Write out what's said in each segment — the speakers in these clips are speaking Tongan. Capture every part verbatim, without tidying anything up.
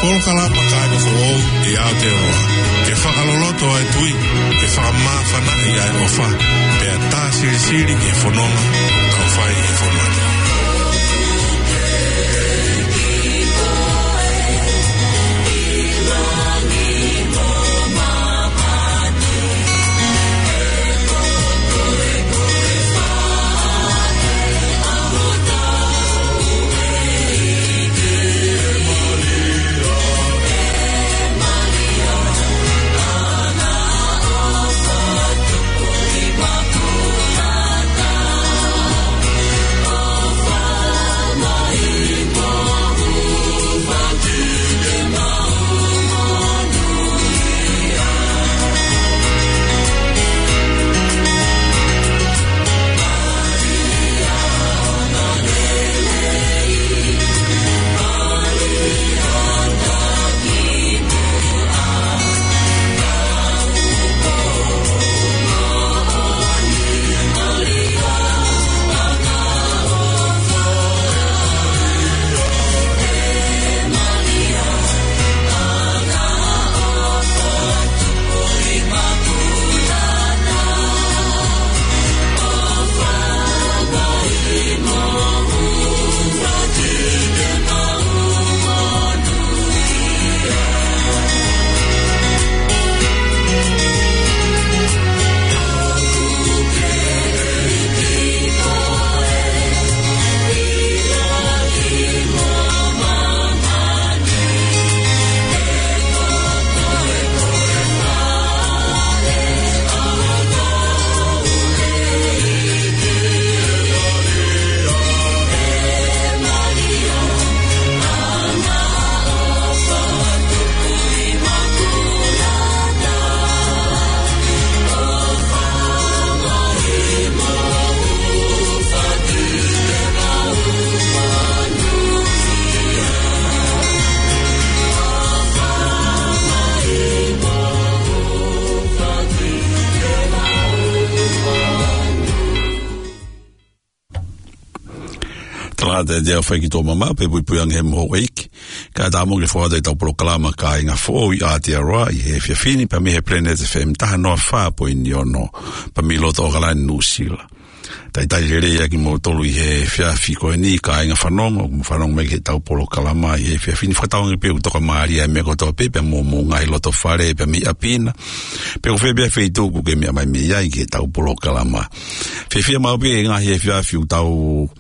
Polokalama Kāinga Foʻou ʻi Aotearoa, ke fakaloloto ʻa e tui, ke fakamāfanaʻi ʻa e ʻofa, pea tā silisili ki he fononga ʻoku tau fai he fonua ni. Talangata ʻe te au fai ki tō mama, pea puipui ange he moho ʻeiki. Kae ʻatā mo ke fokotuʻu ʻetau polokalama Kāinga Foʻou ʻi Aotearoa ʻi he efiafi ni, pea mei he Planet F M taha noa fā poini ono, pea mei loto ʻAokalani, Nuʻusila. Talitali lelei ʻa kimoutolu ʻi he efiafi ko eni, kāinga fanongo, ʻoku mou fanongo mai ki heʻetau polokalama ʻi he efiafi ni. Fakatauange pē ʻoku tokamālie ʻa e meʻa kotoa pē, pea mo homou ngaahi loto fale, pea mei ʻapi na. Pe ko fē pē feituʻu ʻoku ke meʻa mai mei ai ki heʻetau polokalama. Fiefia maʻu pē he ngaahi efiafi ʻoku tau,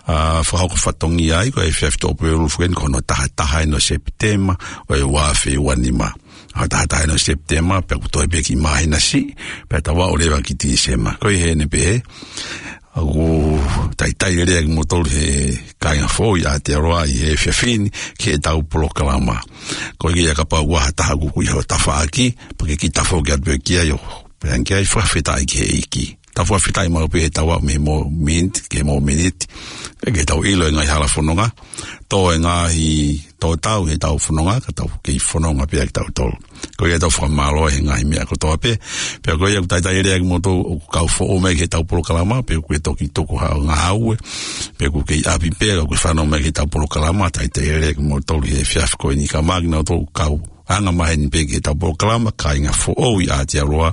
ā, fakahoko fatongia ai, ko e efiafi Tuʻapulelulu foki eni ko hono taha taha eni ʻo Sepitema, ʻo e ua afe ua nima. ʻA e taha taha eni ʻo Sepitema, pea kuo toe pē ki māhina siʻi, pea tau aʻu leva ki Tīsema. Ko ia heni pē, ʻoku talitali lelei ʻa kimoutolu he kāinga foʻou ʻi Aotearoa ʻi he efiafi ni ki heʻetau polokalama. Ko ia kapau ʻoku ʻi ai ha taha ʻoku ʻi ho tafaʻaki, pea ke kiʻi tafoki atu pē ki ai ʻo pehē ange ki ai, fakafetaʻi ki he ʻEiki. Tau fakafetaʻi maʻu pē he tau aʻu mei he mōmeniti ki he mōmeniti, ke tau ʻilo e ngaahi hala fononga, tō e ngaahi tō tau heʻetau fononga, ka tau kei fononga pē ʻa kitautolu. Ko ia tau fakamālō he ngaahi meʻa kotoa pē, pea ko ia ʻoku talitali lelei ʻa kimoutolu ʻoku kau foʻou mai ki heʻetau polokalama, pe ʻoku ke toki tuku haʻo ngāue, pe ʻoku ke ʻi ʻapi pē, ʻoku ke fanongo mai ki heʻetau polokalama, talitali lelei ʻa kimoutolu he efiafi ko eni, kae ʻumaʻā kinautolu ʻoku kau anga maheni pē ki heʻetau polokalama Kāinga Foʻou ʻi Aotearoa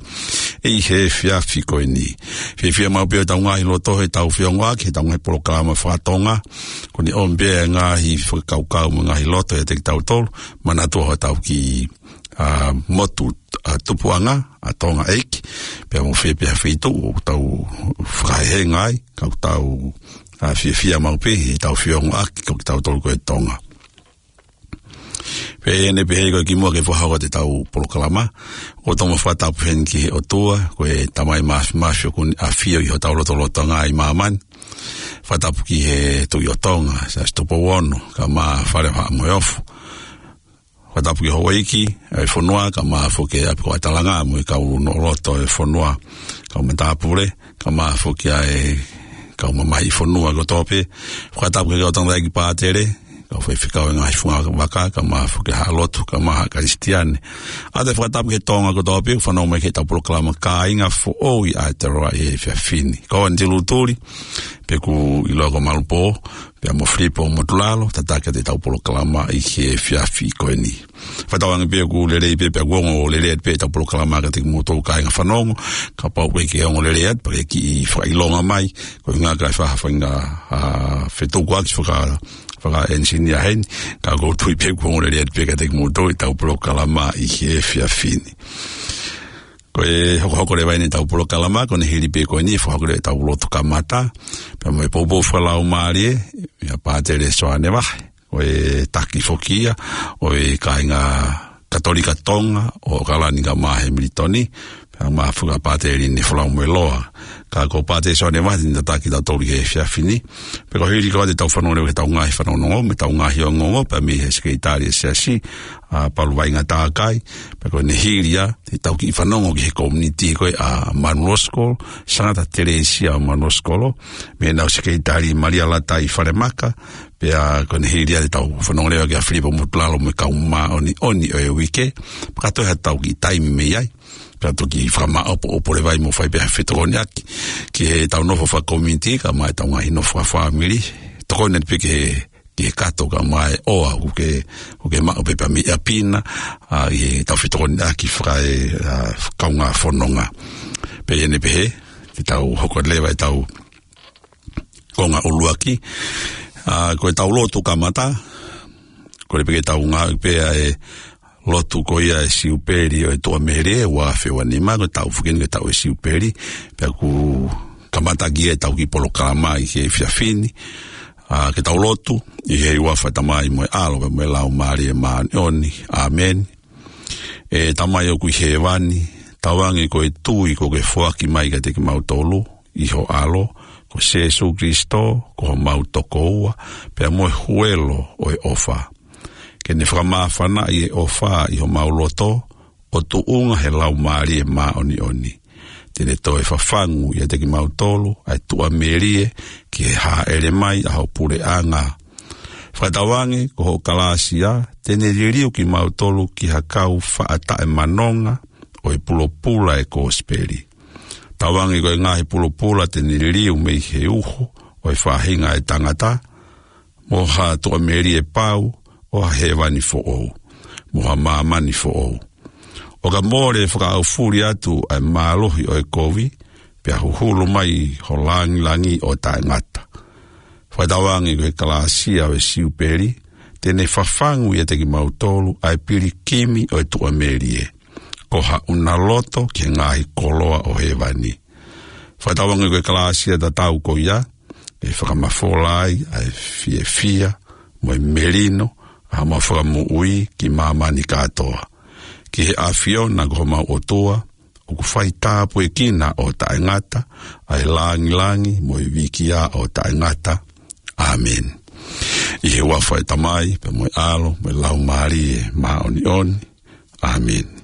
ʻi he efiafi ko eni. Fiefia maʻu pē ʻetau ngaahi loto heʻetau feongoʻaki heʻetau ngaahi polokalama faka-Tonga. Ko eni ʻomi pē ʻa e ngaahi fakakaukau mo e ngaahi loto ʻiate kitautolu, manatua hotau kiʻi, ā, motu, ā, tupuʻanga, ʻa Tonga ʻEiki, pea mo fē pē ha feituʻu ʻoku tau fakahehenga ai, ka ʻoku tau, ā, fiefia maʻu pē heʻetau feongoʻaki ko kitautolu ko e Tonga. Pea ʻi heʻene pehē ko e kimuʻa ke fakahoko atu ʻetau polokalama, ʻoku tau fakatapu heni ki he ʻOtua, ko e Tamai Māfimafi ʻoku ne ʻafio ʻi hotau lotolotonga ʻi māmani. Fakatapu ki he Tuʻi ʻo Tonga, Siaosi Tupou Ono, kae ʻumaʻā Fale Haʻa Moheofo. Fakatapu ki he houʻeiki ʻo e fonua, kae ʻumaʻā foki ʻa e ʻapi ko ʻAtalanga mo e kau noʻoloto ʻo e fonua, kau matāpule, kae ʻumaʻā foki ʻa e kau mamahiʻi fonua kotoa pē. Fakatapu ki he kau tangataʻeiki pātele, kau faifekau ʻi he ngaahi funga vaka, kae ʻumaʻā foki ha lotu, kae ʻumaʻā ha Kalisitiane. ʻOatu e fakatapu ki he Tonga kotoa pē ʻoku fanongo mai ki heʻetau polokalama Kāinga Foʻou ʻi Aotearoa ʻi he efiafi ni. Ko Anti Lutuli, pea ʻoku ʻiloa ko Malupō, pea mo Filipo Motulalo, tataki atu ʻetau polokalama ʻi he efiafi ko eni. Fakatauange pē ʻoku lelei pē, pea ʻoku ongo lelei atu pē ʻetau polokalama kiate kimoutolu kāinga fanongo, kapau ʻoku ʻikai ke ongo lelei atu, pea ke kiʻi fakaʻilonga mai, ko e ʻuhinga ʻoku ʻi ai ha faʻahinga, ʻa, fetukuaki faka-, fakaʻenisinia heni, ka ʻoku ou tui pē ʻoku ongo lelei atu pē kiate kimoutolu ʻetau polokalama ʻi he efiafi ni. Ko e hokohoko leva eni ʻetau polokalama, ko ʻene hili pē ko eni, fakahoko leva ʻetau lotu kamata, pea mo e poupou fakalaumālie, ʻia Pātele Soane Vahe, ko e taki foki ia ʻo e kāinga Katolika Tonga ʻo ʻAokalani kae ʻumaʻā Hemilitoni, pea mo e fuka Pātele Linefolau Moeloa. Ka ko Pātele Soane Vahe te ne tataki kitautolu he efiafi ni. Pea ko e hili ko ia te tau fanongo leva ki heʻetau ngaahi fanongonongo, mo ʻetau ngaahi ongoongo, pea mei he Sekelitali ʻo e Siasi, ʻa Palu Vainga Takai, pea ko ʻene hili ia, te tau kiʻi fanongo ki he community ko ē ʻa Manulosikolo, Sangata Telesia ʻo Manulosikolo, mo ʻenau Sekelitali Malia Latai Falemaka, pea ko ʻene hili ia te tau fanongo leva kia Filipo Motulalo mo e kau māʻoniʻoni ʻo e uike, pea ka toe ha tau kiʻi taimi mei ai, pea toki fakamāʻopoʻopo leva ai mo fai pē ha fetokoniʻaki, ki heʻetau nofo fakakomiti, kae ʻumaʻā ʻetau ngaahi nofo fakafāmili, tokoni atu pē ki he ki he kato kae ʻumaʻā e ʻoa ʻoku ke, ʻoku ke maʻu pē pea mei ʻapi na, ʻa, ʻi heʻetau fetokoniʻaki faka-, ʻa, kaungā fononga. Pea ʻi heʻene pehē, te tau hoko leva ʻetau konga ʻuluaki, ʻa, ko ʻetau lotu kamata, kole pē ke tau ngāueʻi pē ʻa e lotu ko ia ʻo e Siupeli ʻo e Tuʻamelie ʻe ua afe ua nima, ko e taʻu foki eni ko e taʻu ʻo e Siupeli, pea ʻoku kamata ki ai ʻetau kiʻi polokalama ʻi he efiafi ni, ʻa, ke tau lotu, ʻi he huafa ʻo e Tamai mo e ʻAlo pea mo e Laumālie Māʻoniʻoni. ʻĀmeni. ʻE Tamai ʻoku ʻi hēvani, tauange ko e tui kuo ke foaki mai kiate kimautolu, ʻi ho ʻAlo, ko Sēsū Kilisitō, ko homau tokoua, pea mo e huelo ʻo e ʻofa. Ke ne fakamāfanaʻi e ʻofa ʻi homau loto, ʻo tuʻunga he Laumālie Māʻoniʻoni. Te ne toe fafangu ʻiate kimautolu, ʻa e Tuʻamelie, ki he hāʻele mai ʻa ho puleʻanga. Fakatauange, ko hoʻo kalāsia, te ne liliu kimautolu ki ha kau faʻa taʻemanonga, ʻo e pulopula ʻo e Kosipeli. Tauange ko e ngaahi pulopula te ne liliu mei he uho ʻo e faʻahinga ʻo e tangata, mo ha Tuʻamelie pau, ʻo ha hēvani foʻou, mo ha māmani foʻou. ʻO ka mole fakaʻaufuli atu ʻa e mālohi ʻo e kovi, pea huhulu mai ho langilangi ʻo taʻengata. Fakatauange ko e kalāsia ʻo e Siupeli, te ne fafangu ʻiate kimautolu ʻa e pilikimi ʻo e Tuʻamelie, ko haʻuna loto ki he ngaahi koloa ʻo hēvani. Fakatauange ko e kalāsia tatau ko ia, ʻe fakamafola ai ʻa e fiefia mo e melino ʻa homau Fakamoʻui ki māmani kātoa. Ki he ʻAfiona ko homau ʻOtua, ʻoku faitāpuekina ʻo taʻengata, ʻa e langilangi mo e vīkia ʻo taʻengata. ʻĀmeni. ʻI he huafa ʻo e Tamai, pea mo e ʻAlo, mo e Laumālie Māʻoniʻoni. ʻĀmeni.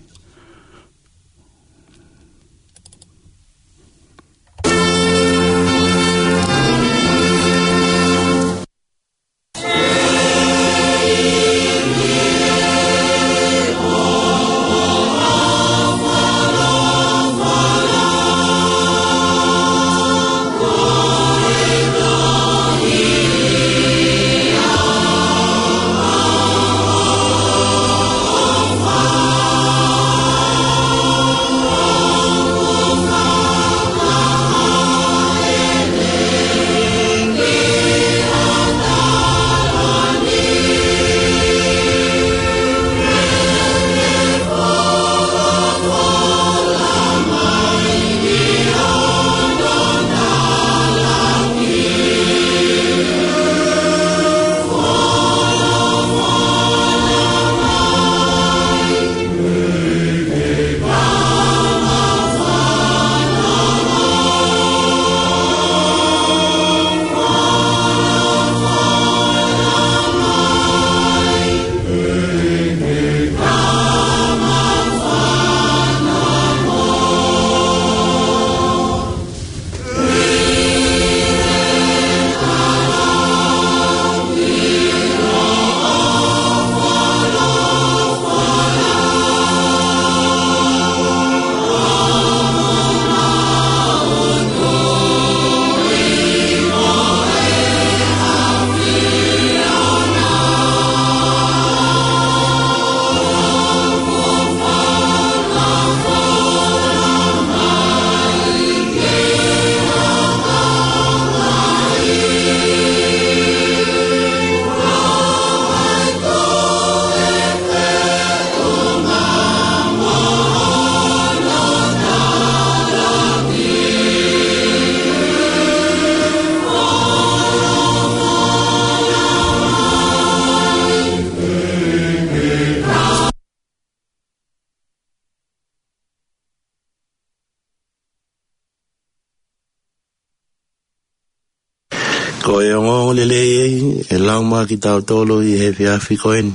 Ko e ongoongolelei ʻe lau maʻa kitautolu ʻi he efiafi ko eni,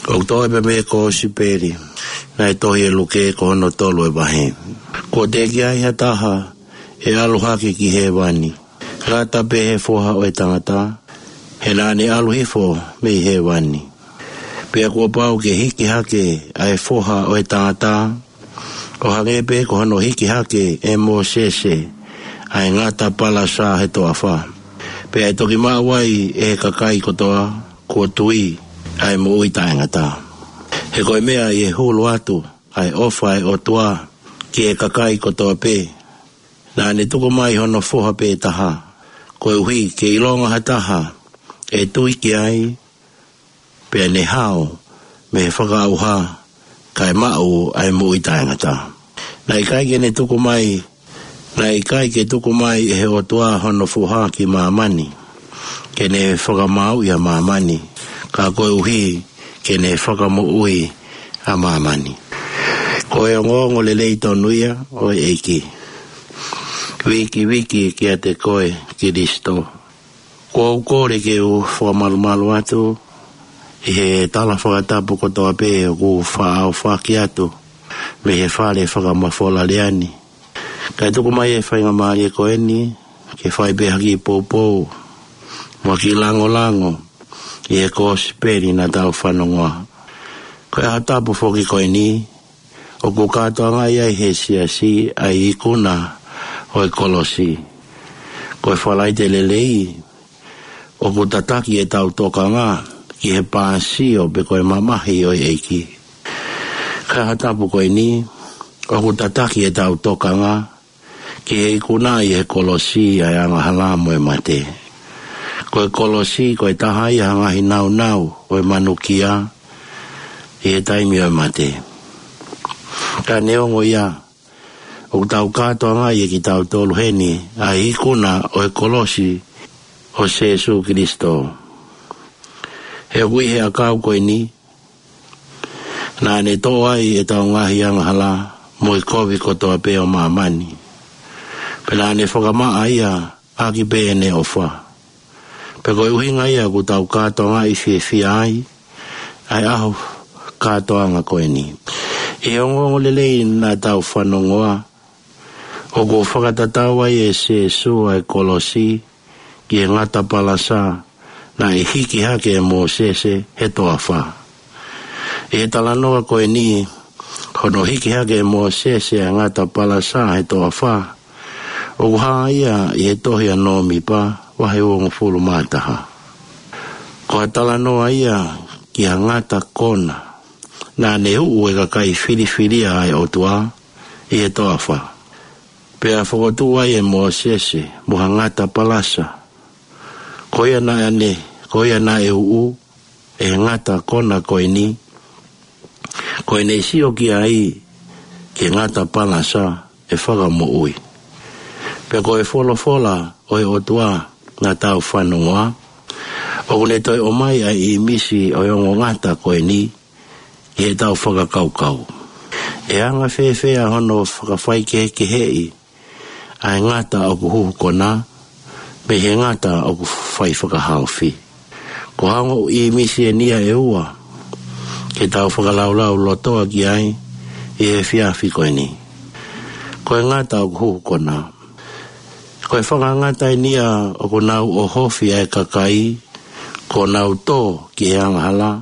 ʻoku toʻo pē mei he Kōsipeli naʻe tohi ʻe Luke, ko hono tolu ʻo e vahe. Kuo teʻeki ai ha taha ʻe ʻalu hake ki hēvani, ngata pē he Foha ʻo e Tangata, he naʻa ne ʻalu hifo mei hēvani. Pea kuo pau ke hiki hake ʻa e Foha ʻo e Tangata, ʻo hangē pē ko hono hiki hake ʻe Mōsese ʻa e ngata palasa he toafa. Pea ʻe toki maʻu ai ʻe he kakai kotoa kuo tui ʻa e moʻui taʻengata. He ko e meʻa ʻi he hulu atu ʻa e ʻofa ʻa e ʻOtua ki he kakai kotoa pē, naʻa ne tuku mai hono Foha pē taha, koeʻuhi ke ʻilonga ha taha ʻe tui ki ai, pea ne hao mei he fakaʻauha, kae maʻu ʻa e moʻui taʻengata. Naʻe ʻikai ke ne tuku mai, naʻe ʻikai ke tuku mai ʻe he ʻOtua hono Foha ki māmani ke ne fakamāuʻi ʻa māmani, ka koeʻuhi ke ne fakamoʻui ʻa māmani. Ko e ongoongolelei tonu ia ʻo e ʻEiki. Viki, viki kiate koe, Kilisitō. Kuo u kole ke u fakamalumalu atu ʻi he tala fakatapu kotoa pē ʻoku faʻa ʻohofaki atu mei he fale fakamafola lea ni. Kae tuku mai e faingamālie ko eni ke fai pē ha kiʻi poupou mo ha kiʻi langolango ʻi he Kōsipeli naʻa tau fanongoa. Ko e ʻaho tapu foki ko eni, ʻoku kātoangaʻi ai ʻe he siasi ʻa e ikuna ʻo e kolosi. Ko e Falaite Lelei, ʻoku tataki ʻetau tokanga ki he pāsio pe ko e mamahi ʻo e ʻEiki. Ka ʻi he ʻaho tapu ko eni, ʻoku tataki ʻetau tokanga ki he ikuna ʻi he kolosi ʻa e angahala mo e mate. Ko e kolosi ko e taha ia ʻo e ngaahi naunau ʻo e manukia ʻi he taimi ʻo e mate. Ka neongo ia, ʻoku tau kātoangaʻi ʻe kitautolu heni ʻa e ikuna ʻo e kolosi ʻo Sēsū Kilisitō. He ʻoku ʻi he ʻakau ko eni, naʻa ne toʻo ai ʻetau ngaahi angahala mo e kovi kotoa pē ʻo māmani. Pea naʻa ne fakamaʻa ia ʻaki pē ʻene ʻofa. Pea ko e ʻuhinga ia ʻoku tau kātoangaʻi fiefia ai ʻa e ʻaho kātoanga ko eni. ʻI he ongoongolelei naʻa tau fanongoa, ʻoku fakatatau ai ʻe Sēsū ʻa e kolosi ki he ngata palasa naʻe hiki hake ʻe Mōsese he toafa. ʻI he talanoa ko eni, hono hiki hake ʻe Mōsese ʻa e ngata palasa he toafa, ʻoku hā ia ʻi he tohi ʻa Nōmipa, vahe uongofulu mā taha. Ko e talanoa ia ki ha ngata kona naʻa ne uʻu ʻe he kakai filifilia ʻa e ʻOtua ʻi he toafa. Pea fokotuʻu ai ʻe Mōsese mo ha ngata palasa. Ko ia naʻa ne, ko ia naʻe uʻu ʻe he ngata kona ko eni, ko ʻene sio ki ai ki he ngata palasa ʻe fakamoʻui. Pea ko e folofola ʻo e ʻOtua naʻa tau fanongoa, ʻoku ne toe ʻomai ʻa e ʻīmisi ʻo e ongo ngata ko eni ʻi heʻetau fakakaukau. ʻE anga fēfē ʻa hono fakafaikehekeheʻi ʻa e ngata ʻoku huhu kona mei he ngata ʻoku fai fakahaofi? Ko e ongo ʻīmisi eni ia ʻe ua ke tau fakalaulaulotoa ki ai ʻi he efiafi ko eni. Ko e ngata ʻoku huhu kona. Ko e fakangata eni ia ʻoku nau ʻohofi ʻa e kakai kuo nau tō ki he angahala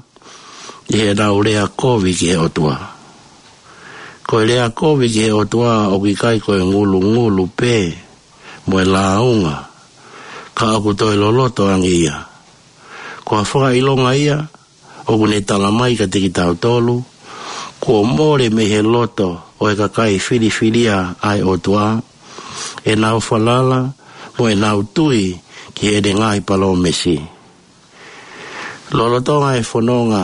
ʻi heʻenau lea kovi ki he ʻOtua. Ko e lea kovi ki he ʻOtua ʻoku ʻikai ko e ngulungulu pē mo e lāunga, ka ʻoku toe loloto ange ia. Ko ha fakaʻilonga ia ʻoku ne talamai kiate kitautolu kuo mole mei he loto ʻo e kakai filifilia ʻa e ʻOtua ʻenau falala mo ʻenau tui ki heʻene ngaahi palōmesi. Lolotonga e fononga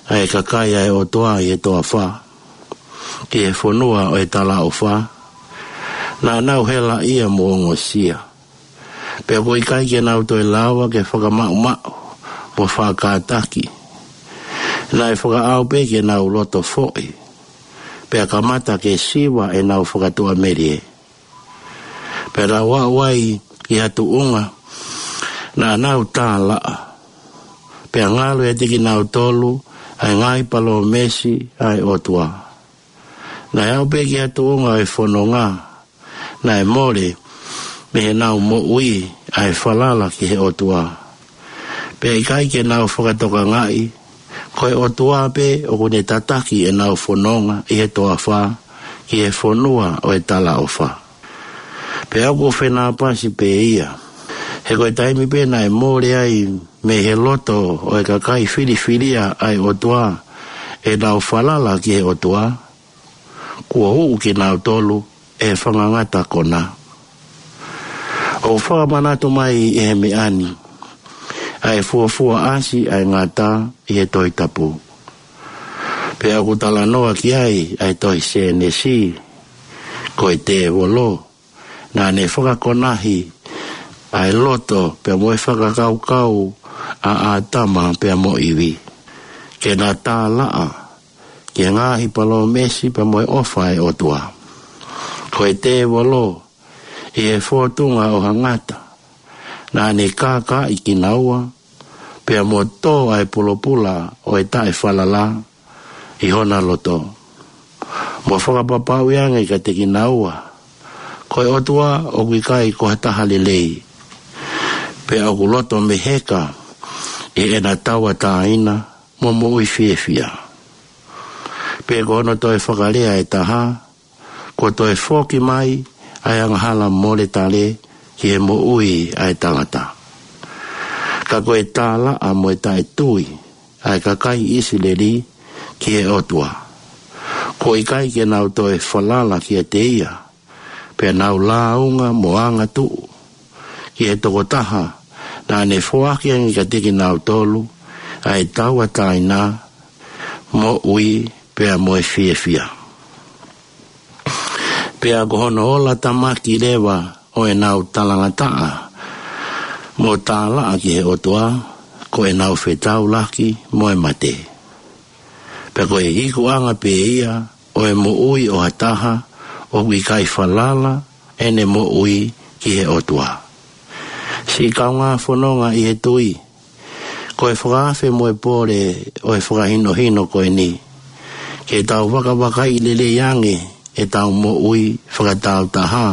ʻa e kakai ʻa e ʻOtua ʻi he toafa ki he fonua ʻo e talaʻofa, naʻa nau helaʻia mo ongosia. Pea ʻoku ʻikai ke nau toe lava ke fakamaʻumaʻu mo faʻa kātaki. Naʻe fakaʻau pē ke nau loto foʻi, pea kamata ke siva ʻenau fakatuʻamelie. Pea nau aʻu ai ki ha tuʻunga Naʻa nau tālaʻa, pea ngalo ʻiate kinautolu ʻa e ngaahi palōmesi ʻa e ʻOtua. Naʻe aʻu pē ki ha tuʻunga ʻo e fononga, naʻe mole mei heʻenau moʻui ʻa e falala ki he ʻOtua. Pea ʻikai ke nau fakatokangaʻi, ko e ʻOtua pē ʻoku ne tataki ʻenau fononga ʻi he toafa ki he fonua ʻo e talaʻofa. Pea ʻoku fenāpasi pē ia. He ko e taimi pē naʻe mole ai mei he loto ʻo e kakai filifilia ʻa e ʻOtua ʻenau falala ki he ʻOtua, kuo uʻu kinautolu ʻe he fanga ngata konā. ʻOku fakamanatu mai ʻe he meʻa ni ʻa e fuofua ʻasi ʻa e ngata ʻi he Tohi Tapu. Pea ʻoku talanoa ki ai ʻa e tohi Sēnesi, ko e tēvolo naʻa ne fakakonahi ʻa e loto pea mo e fakakaukau ʻa ʻĀtama pea mo ʻIvi, ke na tālaʻa ki he ngaahi palōmesi pea mo e ʻofa ʻa e ʻOtua. Ko e tēvolo, ʻi he fōtunga ʻo ha ngata, naʻa ne kākaaʻi kinaua pea mo tō ʻa e pulopula ʻo e taʻefalala ʻi hona loto, mo fakapapauʻi ange kiate kinaua, ko e ʻOtua ʻoku ʻikai ko ha taha lelei, pea ʻoku loto meheka ʻi heʻena tauʻatāina mo moʻui fiefia. Pea ko hono toe fakalea ʻe taha, kuo toe foki mai ʻa e angahala moletale ki he moʻui ʻa e tangata. Ka ko e tālaʻa mo e taʻetui ʻa e kakai ʻIsileli ki he ʻOtua, kuo ʻikai ke nau toe falala kiate ia, pea nau lāunga mo angatuʻu ki he tokotaha naʻa ne foaki ange kiate kinautolu ʻa e tauʻatāina, moʻui pea mo e fiefia. Pea ko hono ola tamaki leva ʻo ʻenau talangataʻa mo tālaʻa ki he ʻOtua, ko ʻenau fetaulaki mo e mate. Pea ko e ikuʻanga pē ia ʻo e moʻui ʻo ha taha ʻoku ʻikai falala ʻene moʻui ki he ʻOtua. Siʻi kaungā fononga ʻi he tui, ko e fakaafe mo e pole ʻo e fakahinohino ko eni, ke tau vakavakaiʻi lelei ange ʻetau moʻui fakatāutaha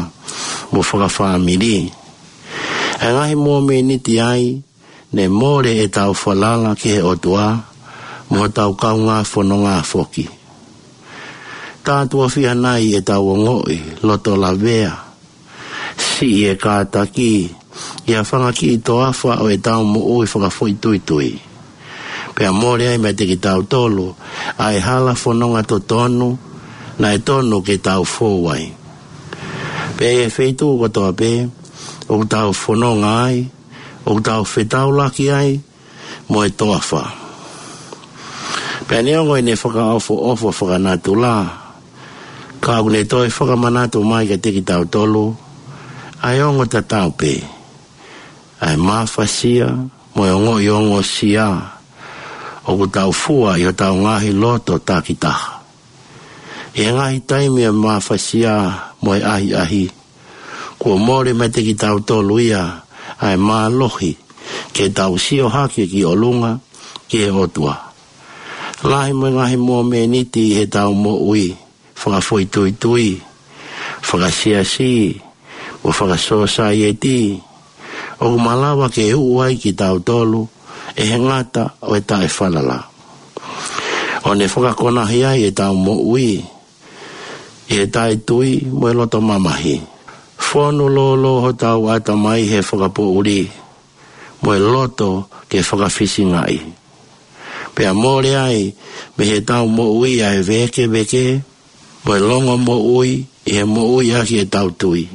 mo fakafāmili. ʻA e ngaahi momeniti ai, ne mole ʻetau falala ki he ʻOtua mo hotau kaungā fononga foki. Tā tuʻo fiha nai ʻetau ongoʻi loto lavea, siʻi e kātaki ʻi ha fanga kiʻi toafa ʻo ʻetau moʻui fakafoʻituitui, pea mole ai meiate kitautolu ʻa e hala fononga totonu naʻe tonu ke tau fou ai. Pea ʻi he feituʻu kotoa pē ʻoku tau fononga ai, ʻoku tau fetaulaki ai mo e toafa. Pea neongo ʻene fakaʻofoʻofa fakanatula, ka ʻoku ne toe fakamanatu mai kiate kitautolu ʻa e ongo tatau pē ʻa e mafasia mo e ongoʻi ongosia ʻoku tau fua ʻi hotau ngaahi loto takitaha. ʻI he ngaahi taimi ʻo e mafasia mo e ʻahiʻahi, kuo mole meiate kitautolu ia ʻa e mālohi ke tau sio hake ki ʻolunga ki he ʻOtua. Lahi mo e ngaahi momeniti ʻi heʻetau moʻui fakafoʻituitui, fakasiasi, mo fakasōsaieti, ʻoku malava ke uʻu ai kitautolu ʻe he ngata ʻo e taʻefalala, ʻo ne fakakonahi ai ʻetau moʻui ʻi he taʻetui mo e loto mamahi. Fonu lōlō hotau ʻatamai he fakapoʻuli mo e loto ke fakafisingaʻi, pea mole ai mei heʻetau moʻui ʻa e vēkeveke mo e longomoʻui ʻi he moʻui ʻaki ʻetau tui.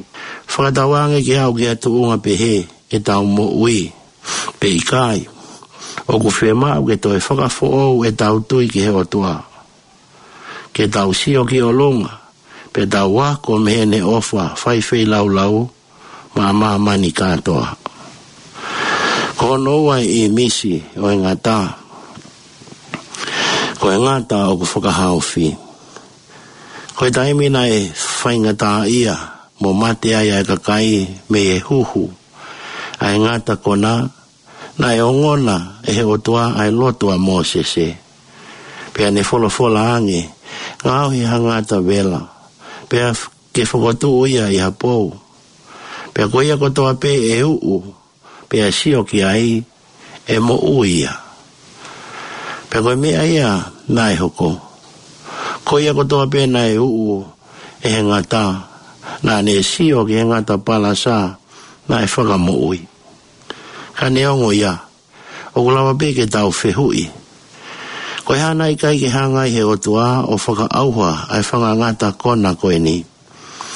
Fakatauange ke aʻu ki ha tuʻunga pehē ʻetau moʻui, pe ʻikai, ʻoku fiemaʻu ke toe fakafoʻou ʻetau tui ki he ʻOtua, ke tau sio ki ʻolunga, pea tau ako mei heʻene ʻofa faifeilaulau maʻa māmani kātoa. Ko hono ua e ʻīmisi ʻo e ngata, ko e ngata ʻoku fakahaofi. Ko e taimi naʻe faingataʻaʻia mo mate ai ʻa e kakai mei he huhu ʻa e ngata konā, Naʻe ongona ʻe he ʻOtua ʻa e lotu ʻa Mōsese, pea ne folofola ange, ngaohi ha ngata vela, pea f-, ke fokotuʻu ia ʻi ha pou. Pea ko ia kotoa pē ʻe uʻu, pea sio ki ai, ʻe moʻui ia. Pea ko e meʻa ia naʻe hoko. Ko ia kotoa pē naʻe uʻu ʻe he ngata, naʻa ne sio ki he ngata palasa, naʻe fakamoʻui. Ka neongo ia, ʻoku lava pē ke tau fehuʻi, ko e hā naʻe ʻikai ke hanga ʻe he ʻOtua ʻo fakaʻauha ʻa e fanga ngata kona ko eni,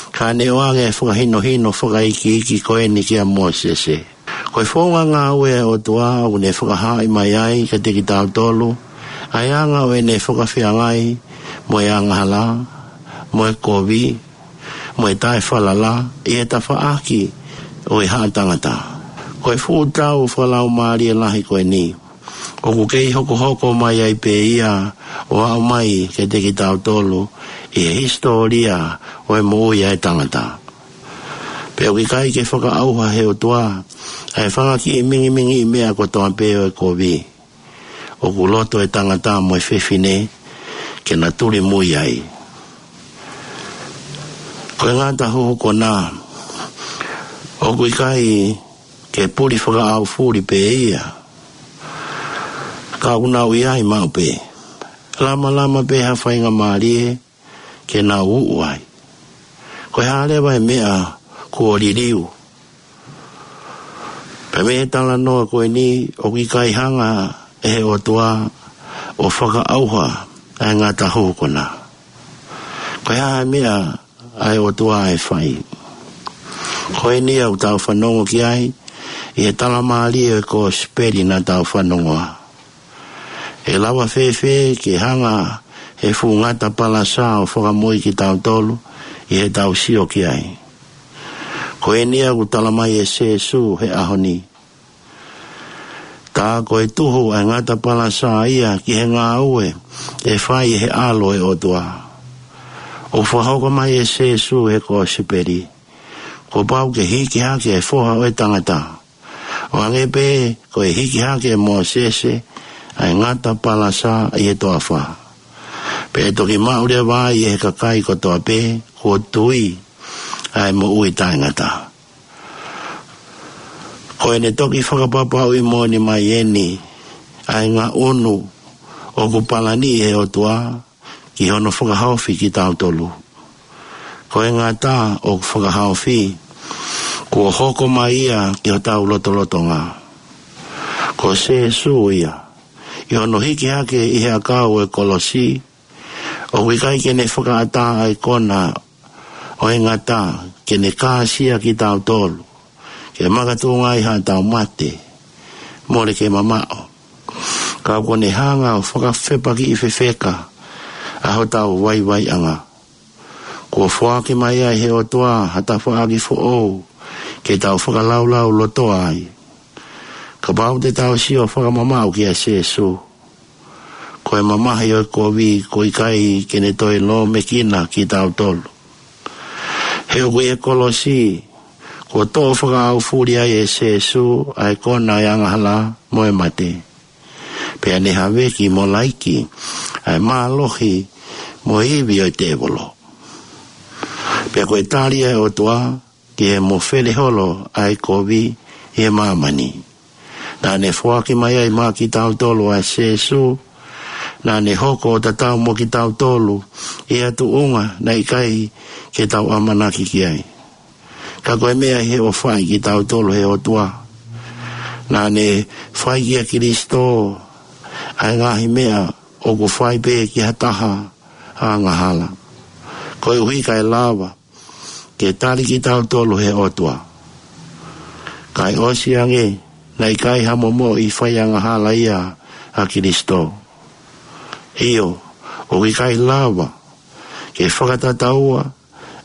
ka ne ʻoange ʻa e fakahinohino fakaikiiki ko eni kia Mōsese. Ko e founga ngāue ʻa e ʻOtua ʻoku ne fakahaaʻi mai ai kiate kitautolu ʻa e anga ʻo ʻene fakafeangai mo e angahala, mo e kovi, mo e taʻefalala ʻi he tafaʻaki ʻo e haʻa tangata. Ko e fuʻu tau fakalaumālie lahi ko eni, ʻoku kei hokohoko mai ai pē ia ʻo aʻu mai kiate kitautolu ʻi he hisitōlia ʻo e moʻui ʻa e tangata. Pea ʻoku ʻikai ke fakaʻauha ʻe he ʻOtua ʻa e fanga kiʻi mingimingiʻi meʻa kotoa pē ʻo e kovi ʻoku loto e tangata mo e fefine ke na tulimui ai. Ko e ngata huhu kona, ʻoku ʻikai ke puli fakaʻaufuli pē ia, ka ʻoku nau ʻi ai maʻu pē. Lamalama pē ha faingamālie ke nau uʻu ai. Ko e hā leva e meʻa kuo liliu? Pea mei he talanoa ko eni, ʻoku ʻikai hanga ʻe he ʻOtua ʻo fakaʻauha ʻa e ngata huhu kona. Ko e hā e meʻa ʻa e ʻOtua ʻe fai? Ko eni ʻoku tau fanongo ki ai ʻi he talamālie ʻo e kosipeli naʻa tau fanongoa. ʻE lava fēfē ke hanga ʻe he fuʻu ngata palasa ʻo fakamoʻui kitautolu ʻi heʻetau sio ki ai? Ko eni ʻoku talamai ʻe Sēsū he ʻaho ni. Tā ko e tuhu ʻa e ngata palasa ia ki he ngāue ʻe fai ʻe he ʻAlo ʻo e ʻOtua. ʻOku fakahoko mai ʻe Sēsū he kosipeli, kuo pau ke hiki hake ʻa e Foha ʻo e Tangata, ʻo hangē pē ko e hiki hake ʻe Mōsese ʻa e ngata palasa ʻi he toafa. Pea ʻe toki maʻu leva ai ʻe he kakai kotoa pē kuo tui ʻa e moʻui taʻengata. Ko ʻene toki fakapapauʻi moʻoni mai eni ʻa e ngaʻunu ʻoku palani ʻe he ʻOtua ki hono fakahaofi kitautolu. Ko e ngata ʻoku fakahaofi, kuo hoko mai ia ki hotau lotolotonga. Ko Sēsū ia, ʻi hono hiki hake ʻi he ʻakau ʻo e kolosi, ʻoku ʻikai ke ne fakaʻatā ʻa e kona ʻo e ngata ke ne kāsia kitautolu, ke makatuʻunga ai haʻatau mate, mole ke mamaʻo. Ka kuo ne hanga ʻo fakafepakiʻi fefeka ʻa hotau vaivaiʻanga. Kuo foaki mai ai ʻe he ʻOtua ha tafaʻaki foʻou ke tau fakalaulaulotoa ai. Kapau te tau sio fakamamaʻu kia Sēsū, ko e mamahi ʻo e kovi kuo ʻikai ke ne toe lōmekina kitautolu. He ʻoku ʻi he kolosi, kuo toʻo fakaʻaufuli ai ʻe Sēsū ʻa e kona ʻo e angahala mo e mate. Pea ne haveki mo laiki ʻa e mālohi mo e ivi ʻo e tēvolo. Pea ko e tali ʻa e ʻOtua ki he mofele holo ʻa e kovi ʻi he māmani, naʻa ne foaki mai ai maʻa kitautolu ʻa Sēsū, naʻa ne hoko ʻo tatau mo kitautolu ʻi ha tuʻunga naʻe ʻikai ke tau ʻamanaki ki ai. Ka ko e meʻa ʻi he ʻofaʻi kitautolu ʻe he ʻOtua, naʻa ne fai kia Kilisitō ʻa e ngaahi meʻa ʻoku fai pē ki ha taha angahala, koeʻuhi kae lava ke tali kitautolu ʻe he ʻOtua. Kae ʻosi ange, naʻe ʻikai ha momoʻi faiangahala ia ʻa Kilisitō. ʻIo, ʻoku ʻikai lava ke fakatataua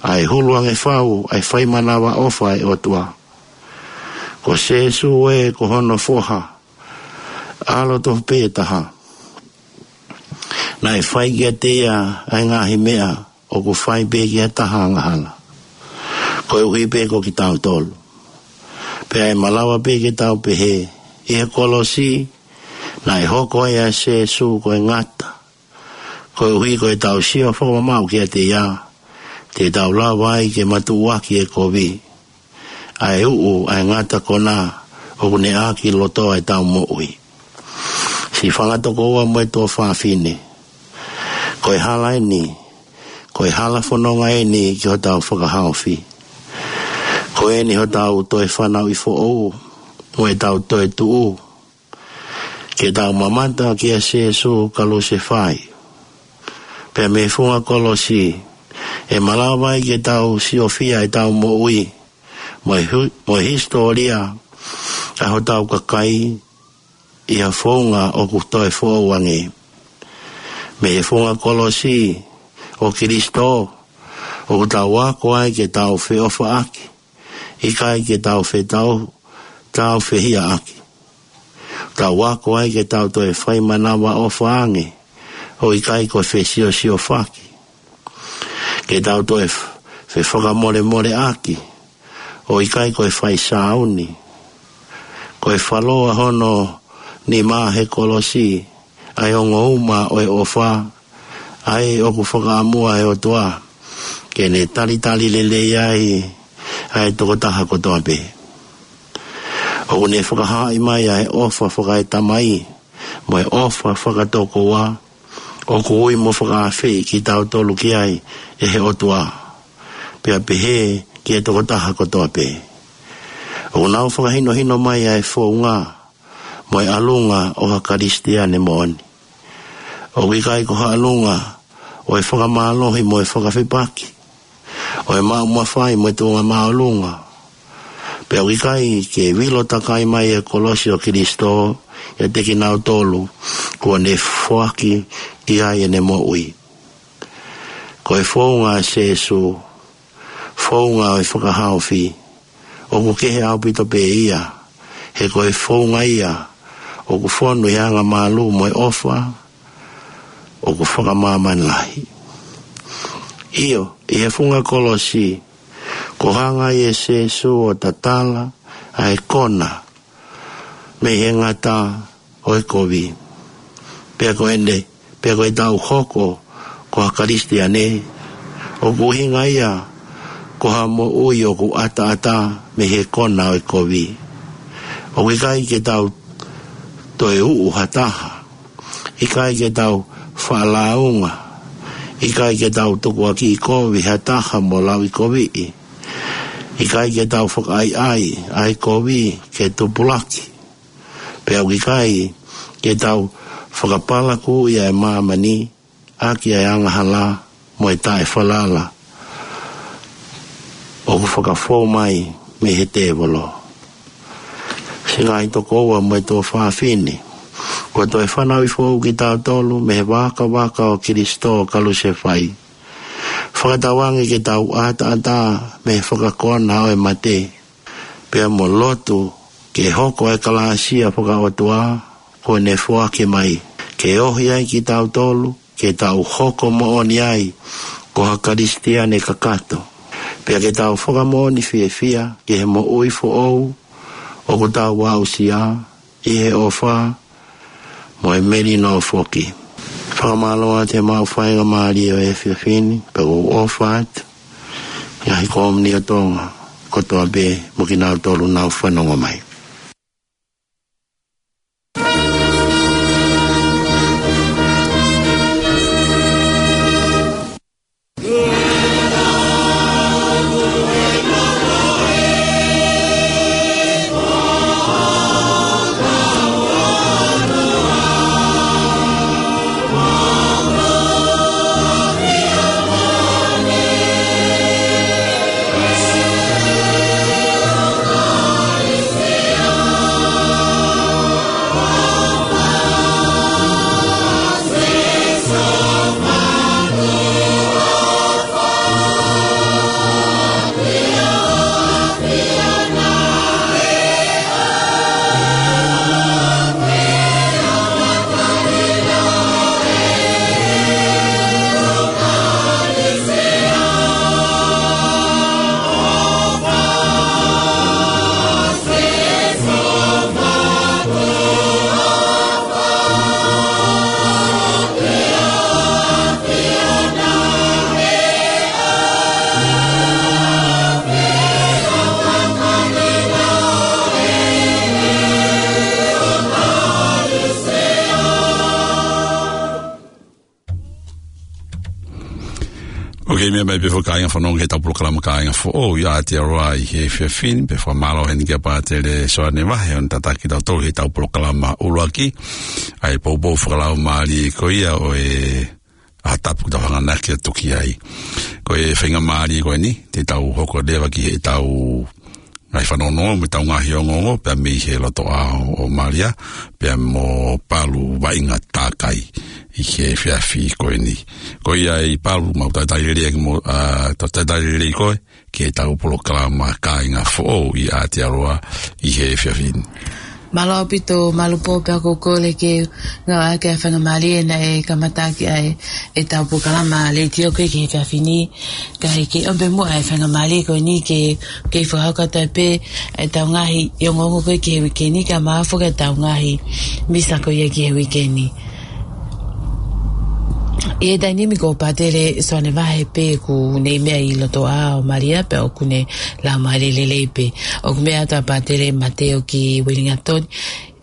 ʻa e hulu ange fau ʻa e fai manavaʻofa ʻa e ʻOtua. Ko Sēsū ē, ko hono Foha, ʻAlo tofu pē taha, naʻe fai kiate ia ʻa e ngaahi meʻa ʻoku fai pē ki ha taha angahala, koeʻuhi pē ko kitautolu. Pea ʻe malava pē ke tau pehē, ʻi he kolosi, naʻe hoko ai ʻa Sēsū ko e ngata. Koeʻuhi ko ʻetau sio fakamamaʻu kiate ia, te tau lava ai ke matuʻuaki e kovi. ʻA e uʻu, ʻa e ngata konā, ʻoku ne ʻākilotoa ʻetau moʻui. Siʻi fanga tokoua mo e tuofāfine. Ko e hala eni, ko e hala fononga eni ki hotau fakahaofi. Ko eni hotau toe fanauʻi foʻou, mo ʻetau toe tuʻu. Ke tau mamata kia Sēsū Kalusefai. Pea mei he funga kolosi, ʻe malava ai ke tau siofia ʻetau moʻui, mo e hu-, mo e hisitōlia ʻa hotau kakai, ʻi ha founga ʻoku toe foʻou ange. Mei he funga kolosi ʻo Kilisitō, ʻoku tau ako ai ke tau feʻofaʻaki, ʻikai ke tau fetau, tau fehiʻaʻaki. Tau ako ai ke tau toe fai manavaʻofa ange, ʻo ʻikai ko e fesiosiofaki. Ke tau toe f-, fefakamolemoleʻaki, ʻo ʻikai ko e fai sāuni. Ko e faloa hono nima he kolosi, ʻa e ongo uma ʻo e ʻofa, ʻa ē ʻoku fakaʻamua ʻe he ʻOtua, ke ne talitali lelei ai, ʻa e tokotaha kotoa pē. ʻOku ne fakahaaʻi mai ʻa e ʻofa fakaetamai, mo e ʻofa fakatokoua, ʻoku ui mo fakaafeʻi kitautolu ki ai ʻe he ʻOtua. Pea pehē ki he tokotaha kotoa pē. ʻOku nau fakahinohino mai ʻa e founga, mo e ʻalunga ʻo ha Kalisitiane moʻoni. ʻOku ʻikai ko ha ʻalunga, ʻo e fakamālohi mo e fakafepaki, ʻo e maʻu mafai mo e tuʻunga māʻolunga. Pea ʻoku ʻikai ke vilo takai mai e kolosi ʻo Kilisitō, ʻiate kinautolu, kuo ne foaki ki ai ʻene moʻui. Ko e founga ʻa Sēsū, founga ʻo e fakahaofi, ʻoku kehe ʻaupito pē ia, he ko e founga ia, ʻoku fonu ʻi he angamalū mo e ʻofa, ʻoku fakamāmani lahi. ʻIo, ʻi he funga kolosi, ko e hanga ʻe Sēsū ʻo tatala, ʻa e kona, mei he ngata ʻo e kovi. Pea ko ʻene, pea ko ʻetau hoko, ko ha Kalisitiane, ʻoku ʻuhinga ia, ko ha moʻui ʻoku ʻataʻatā mei he kona ʻo e kovi. ʻOku ʻikai ke tau toe uʻu ha taha. ʻIkai ke tau faʻalaunga. ʻIkai ke tau tukuakiʻi kovi ha taha mo lauʻikoviʻi. ʻIkai ke tau fakaʻaiʻai, ʻa e kovi ke tupulaki. Pea ʻoku ʻikai ke tau fakapalakuʻi ʻa e māmani, ʻaki ʻa e angahala, mo e taʻefalala. ʻOku fakafou mai mei he tēvolo. Siʻi ngaahi tokoua mo e tuofāfine. Kuo toe fanauʻi foʻou kitautolu mei he vakavaka ʻo Kilisitō Kalusefai. Fakatauange ke tau ʻataʻatā mei he fakakona ʻo e mate. Pea mo lotu ke hoko e kalāsia fakaʻotua kuo ne foaki mai. Ke ohi ai kitautolu, ke tau hoko moʻoni ai, ko ha Kalisitiane kakato. Pea ke tau fakamoʻoni fiefia, ki he moʻui foʻou, ʻoku tau aʻusia, ʻi he ʻofa, mo e melino foki. Fakamālō atu he maʻu faingamālie ʻo e efiafi ni, pea ʻoku ou ʻofa atu, ʻi he ngaahi kōmuni ʻo Tonga, kotoa pē, mo kinautolu nau fanongo mai. Kei meʻa mai pē foki kāinga fanongo ki heʻetau polokalama Kāinga Foʻou ʻi Aotearoa ʻi he efiafi ni, pea fakamālō heni kia Pātele Soane Vahe, ʻoku ne tataki kitautolu heʻetau polokalama ʻuluaki, ʻa e poupou fakalaumālie ko ia ʻo e ʻaho tapu ʻoku tau hanganaki atu ki ai. Ko e faingamālie ko eni, te tau hoko leva ki heʻetau ngaahi fanongo, mo ʻetau ngaahi ongoongo, pea mei he loto ʻao ʻo Malia, pea mo Palu Vaʻinga Takai ʻi he efiafi ko eni. Ko ia ʻe Palu, mau talitali lelei mo, ʻa, tau talitali lelei koe, ki heʻetau polokalama Kāinga Foʻou ʻi Aotearoa ʻi he efiafi ni. Mālō ʻaupito, Malu Pō, pea ʻoku ou kole ke ngāueʻaki ʻa e faingamālie naʻe kamataʻaki ai ʻetau polokalama letiō ko ē ki he efiafi ni. Ka ʻi he ʻomi pē muʻa ʻa e faingamālie ko eni ke, ke fakahoko atu pē ʻetau ngaahi ongoongo ko ē ki he uike ni, kae ʻumaʻā foki ʻetau ngaahi misa ko ia ki he uike ni. ʻI he taimi ni ko Pātele Soane Vahe pē ʻoku ne meʻa ʻi loto ʻao ʻo Malia, pea ʻoku ne lau mai lelei pē. ʻOku meʻa atu ʻa Pātele Mateo ki Uelingatoni,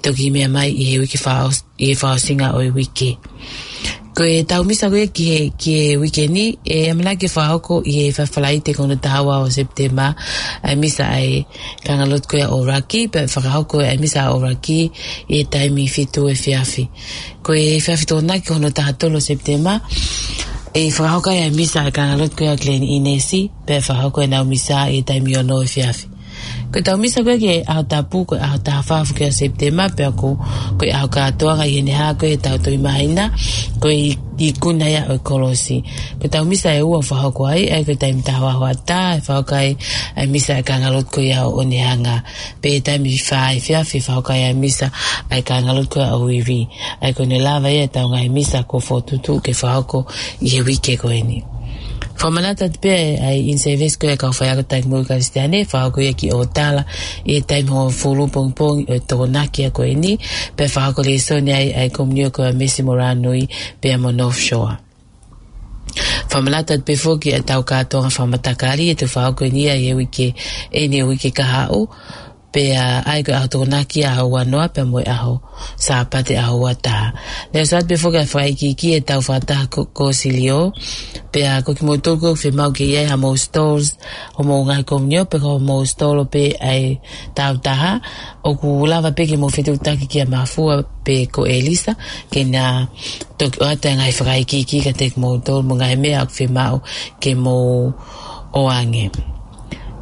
toki meʻa mai ʻi he uike fakaʻos-, ʻi he fakaʻosinga ʻo e uike. Ko ʻetau misa ko ia ki he, ki he uike ni, ʻe ʻamanaki ke fakahoko ʻi he Falaite ko hono taha ua ʻo Sepitema, ʻa e misa ʻa e kāingalotu ko ia ʻo ʻUluaki, pea fakahoko ʻa e misa ʻa ʻUluaki ʻi he taimi fitu efiafi. Ko e efiafi Tokonaki ko hono taha tolu ʻo Sepitema, ʻe fakahoko ai ʻa e misa ʻa e kāingalotu ko ia ʻo Glen Innes, pea fakahoko ʻenau misa ʻi he taimi ono efiafi. Ko ʻetau misa ko ē ki he ʻaho tapu, ko e ʻaho taha fā foki ʻo Sepitema, pea ko, ko e ʻaho kātoanga ʻi heʻene hā ko ē ʻetau Tohi Māhina, ko e i-, ikuna ia ʻo e kolosi. Ko ʻetau misa ʻe ua ʻoku fakahoko ai, ʻa ia ko e taimi taha ua hoʻatā, ʻe fakahoko ai ʻa e misa ʻa e kāingalotu ko ia ʻo Onehunga. Pea taimi fā efiafi ʻe fakahoko ai ʻa e misa ʻa e kāingalotu ko ia ʻo Vevey. ʻA ia ko ʻene lava ia ʻetau ngaahi misa kuo fokotuʻutuʻu ke fakahoko ʻi he uike ko eni. Fakamanatu atu pē ʻa e in-service ko ia ʻa e kau faiako takimuʻa Kalisitiane, fakahoko ia ki ʻŌtala ʻi he taimi hongofulu pongipongi ʻo e Tokonaki ko eni, pea fakahoko lēsoni ai ʻa e komiunio ko ia ʻa Mesi mo Rānui pea mo North Shore. Fakamanatu atu pē foki ʻetau kātoanga fakamatakali ʻe toki fakahoko eni ʻi he uike, ʻi he uike kahaʻu, pea ʻa ia ko e ʻaho Tokonaki ʻaho ua noa, pea mo e ʻaho Sāpate ʻaho ua taha. Naʻe ʻosi atu pē foki ʻa e fakaikiiki ʻetau fakataha ko, ko Silio, pea ko kimoutolu ko ē ʻoku fiemaʻu ke ʻi ai haʻamou stalls, hoʻomou ngaahi komiunio, pe ko hoʻomou stall pē ʻa e tautaha, ʻoku lava pē ke mou fetuʻutaki kia Mafua pe ko ʻElisa, ke na toki ʻoatu ʻa e ngaahi fakaikiiki kiate kimoutolu mo e ngaahi meʻa ʻoku fiemaʻu ke mou ʻoange.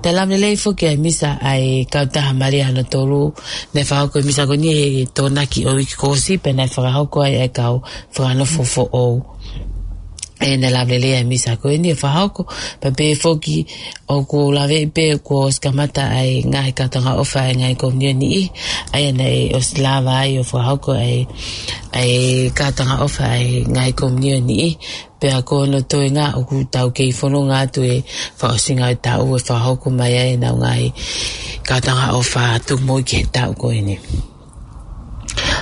Talamai lelei foki ʻa e misa ʻa e kautaha Malia hono tolu, naʻe fakahoko e misa ko eni he Tokonaki ʻo e uike kuo ʻosi, pea naʻe fakahoko ai ʻa e kau fakanofo foʻou. ʻE naʻe lava lelei ʻa e misa ko eni ʻo fakahoko, pea pehē foki ʻoku laveʻi pē kuo ʻosi kamata ʻa e ngaahi kātoanga ʻofa ʻa e ngaahi komiunio ʻe niʻihi, ʻa ia naʻe ʻosi lava ai ʻo fakahoko ʻa e, ʻa e kātoanga ʻofa ʻa e ngaahi komiunio ʻe niʻihi, pea ko hono toenga ʻoku tau kei fononga atu he fakaʻosinga ʻo e taʻu ʻe fakahoko mai ai ʻenau ngaahi kātoanga ʻofa tuku moʻui ki he taʻu ko eni.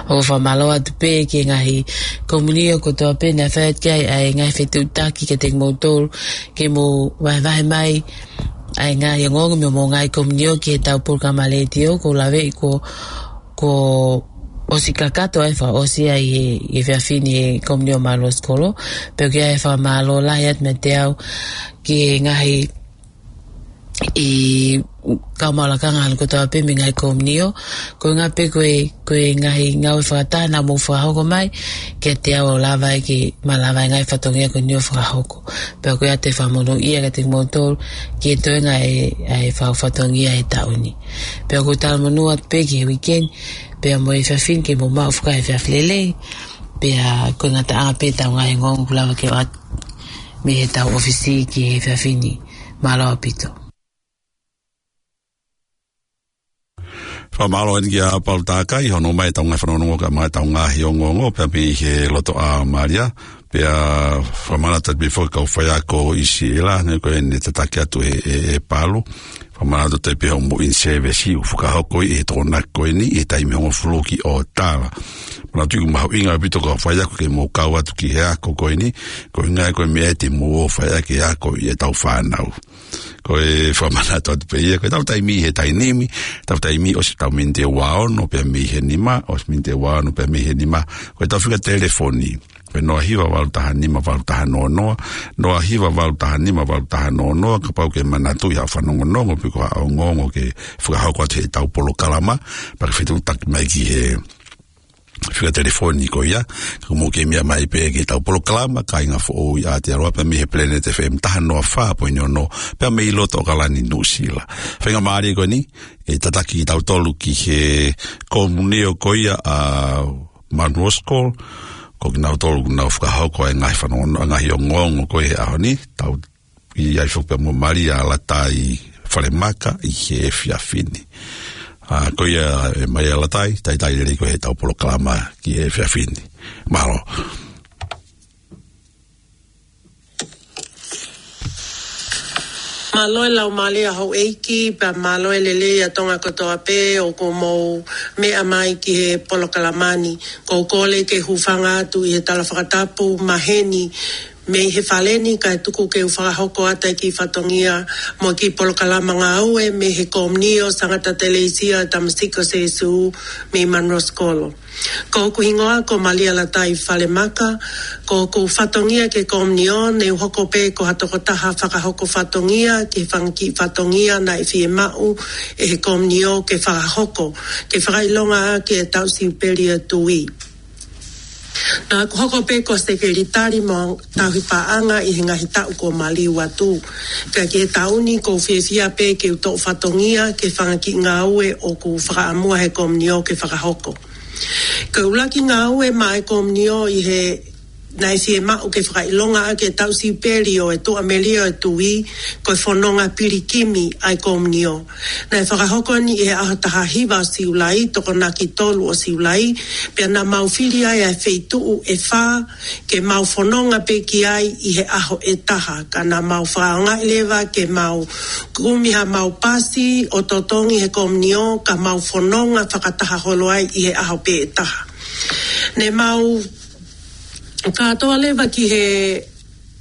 ʻOku fakamālō atu pē ki he ngaahi komiunio kotoa pē naʻe fai atu ki ai ʻa e ngaahi fetuʻutaki kiate kimoutolu ke mou vahevahe mai ʻa e ngaahi ongoongo mei hoʻomou ngaahi komiunio ki heʻetau polokalama letiō. ʻOku laveʻi kuo, kuo ʻosi kakato ʻa e fakaʻosi ʻa e, ʻi he efiafi ni he Komiunio Mālō Sikolo. Pea ʻoku ʻi ai e fakamālō lahi atu meiate au ki he ngaahi ʻi he kau maʻu lakanga hano kotoa pē mei he ngaahi komiunio. Ko e ʻuhinga pē ko e, ko e ngaahi ngāue fakataha naʻa mou fakahoko mai kiate au ʻo lava ai ke malava e ngaahi fatongia ko eni ʻo fakahoko. Pea ʻoku ʻi ai atu e fakamonūʻia kiate kimoutolu ki he toenga ʻa e, ʻa e fau fatongia he taʻu ni. Pea ʻoku ou talamonū atu pē ki he uike ni, pea mo e efiafi ni ke mou maʻu fakafeʻiloaki lelei. Pea ko e ngataʻanga pē ʻetau ngaahi ongoongo ʻoku lava ke ʻoatu mei heʻetau ʻōfisi ki he efiafi ni. Mālō ʻaupito. Fakamālō eni kia Palu Takai, hono ʻomai ʻetau ngaahi fanongonongo kae ʻumaʻā ʻetau ngaahi ongoongo, pea mei he loto ʻao Malia, pea fakamanatu atu pē foki kau faiako ʻi Siela, ne ko eni tataki atu ʻe, ʻe, ʻe Palu, fakamanatu atu pē hoʻomou in-service ʻoku fakahoko ʻi he Tokonaki ko eni, ʻi he taimi hongofulu ki ʻŌtala. Manatuʻi ʻoku mahuʻinga ʻaupito kau faiako ke mou kau atu ki he ako ko eni, ko e ʻuhinga ia ko e meʻa te mou ō ʻo faiako ʻi heʻetau fānau. Ko e fakamanatu atu pē ia, ko ʻetau taimi he taimi ni, ʻetau taimi ʻosi ʻetau miniti ʻe ua ono pea mei he nima, ʻosi miniti ʻe ua ono pea mei he nima, ko ʻetau fika telefoni. Pea noa hiva valu taha nima valu taha noa noa, noa hiva valu taha nima valu taha noa noa, kapau ʻoku ke manatuʻi ha fanongonongo pe ko ha ongoongo ke fakahoko atu heʻetau polokalama, pea ke fetuʻutaki mai ki he fika telefoni ko ia, ka mou kei meʻa mai pē ki heʻetau polokalama, Kāinga Foʻou ʻi Aotearoa pea mei he Planet F M taha noa fā poini ono, pea mei loto ʻAokalani Nuʻusila. Faingamālie ko eni, ke tataki kitautolu ki he komunio ko ia ʻa Munro School, ko kinautolu ʻoku nau fakahoko e ngaahi fanongo, ngaahi ongoongo ko ē he ʻaho ni, tau ʻi ai foki pea mo Malia Latai Falemaka ʻi he efiafi ni. ʻA, ko ia ē Malia Latai, talitali lelei koe heʻetau polokalama ki he efiafi ni. Mālō. Mālō e laumālie ʻa houʻeiki, pea mālō e lelei ʻa Tonga kotoa pē ʻoku mou meʻa mai ki he polokalama ni. ʻOku ou kole ke hūfanga atu ʻi he tala fakatapu maheni mei he fale ni, kae tuku ke u fakahoko atu e kiʻi fatongia mo e kiʻi polokalama ngāue mei he Komunio Sangata Teleisia Tamasiko Sēsū mei Munro School. Ko hoku hingoa ko Malia Latai Falemaka, ko hoku fatongia ki he komunio ne u hoko pē ko ha tokotaha fakahoko fatongia ki he fanga kiʻi fatongia naʻe fiemaʻu ʻe he komunio ke fakahoko, ke fakaʻilonga ʻaki e taʻu siupeli ʻo e tuí. Naʻá ku hoko pē ko e sekelitali mo e tauhi paʻanga ʻi he ngaahi taʻu kuo maliu atu. Ka ki he taʻu ni ʻoku ou fiefia pē ke u toʻo fatongia ki he fanga kiʻi ngāue ʻoku fakaʻamua ʻe he komunio ke fakahoko. Ko e ʻuluaki ngāue maʻá e komunio ʻi he naʻe fiemaʻu ke fakaʻilonga ʻaki e taʻu siupeli ʻo e tuʻamelie ʻo e tuí, ko e fononga pilikimi ʻa e komunio. Naʻe fakahoko eni ʻi he ʻaho taha hiva ʻo Siulai, Tokonaki tolu ʻo Siulai, pea naʻa mau fili ai ʻa e feituʻu ʻe fā ke mau fononga pē ki ai ʻi he ʻaho ʻe taha. Ka naʻa mau fakaʻaongaʻi leva ke mau kumi haʻamau pasi ʻo totongi he komunio, ka mau fononga fakataha holo ai ʻi he ʻaho pē ʻe taha. Ne mau kātoa leva ki he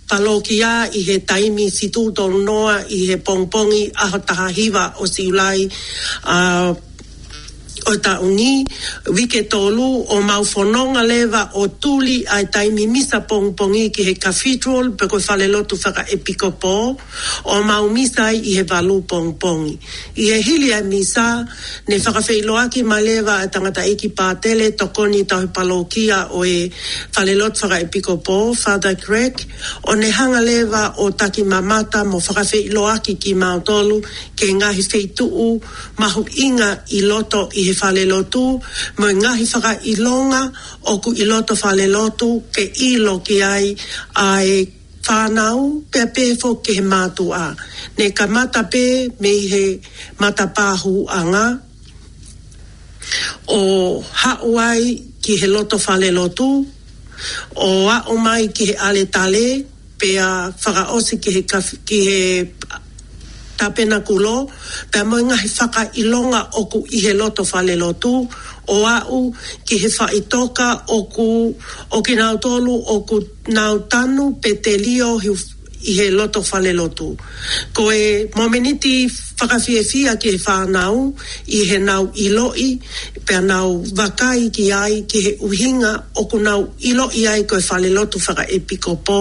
palokia ʻi he taimi fitu tolu noa ʻi he pongipongi ʻaho taha hiva ʻo Siulai, ʻa, ʻo e taʻu ni, uike tolu, ʻo mau fononga leva ʻo tuli ʻa e taimi misa pongipongi ki he cathedral, pe ko e falelotu fakaʻepikopō, ʻo mau misa ai ʻi he valu pongipongi. ʻI he hili ʻa e misa, ne fakafeʻiloaki mai leva ʻa e tangataʻeiki pātele tokoni tauhi palokia ʻo e falelotu fakaʻepikopō, Father Greg, ʻo ne hanga leva ʻo taki mamata mo fakafeʻiloaki kimautolu ki he ngaahi feituʻu mahuʻinga ʻi loto ʻi he falelotu, mo e ngaahi fakaʻilonga ʻoku ʻi loto falelotu ke ʻilo ki ai ʻa e fānau pea pehē foki ki he mātuʻa. Ne kamata pē mei he matapā hūʻanga ʻo haʻu ai ki he loto falelotu, ʻo aʻu mai ki he ʻaletale, pea fakaʻosi ki he kaf-, ki he tapenakulo, pea mo e ngaahi fakaʻilonga ʻoku ʻi he loto falelotu, ʻo aʻu ki he faʻitoka ʻoku, ʻo kinautolu ʻoku nau tanu pe telio ʻi, ʻi he loto falelotu. Ko e momeniti fakafiefia ki he fānau ʻi heʻenau ʻiloʻi, pea nau vakai ki ai ki he ʻuhinga ʻoku nau ʻiloʻi ai ko e falelotu fakaʻepikopō,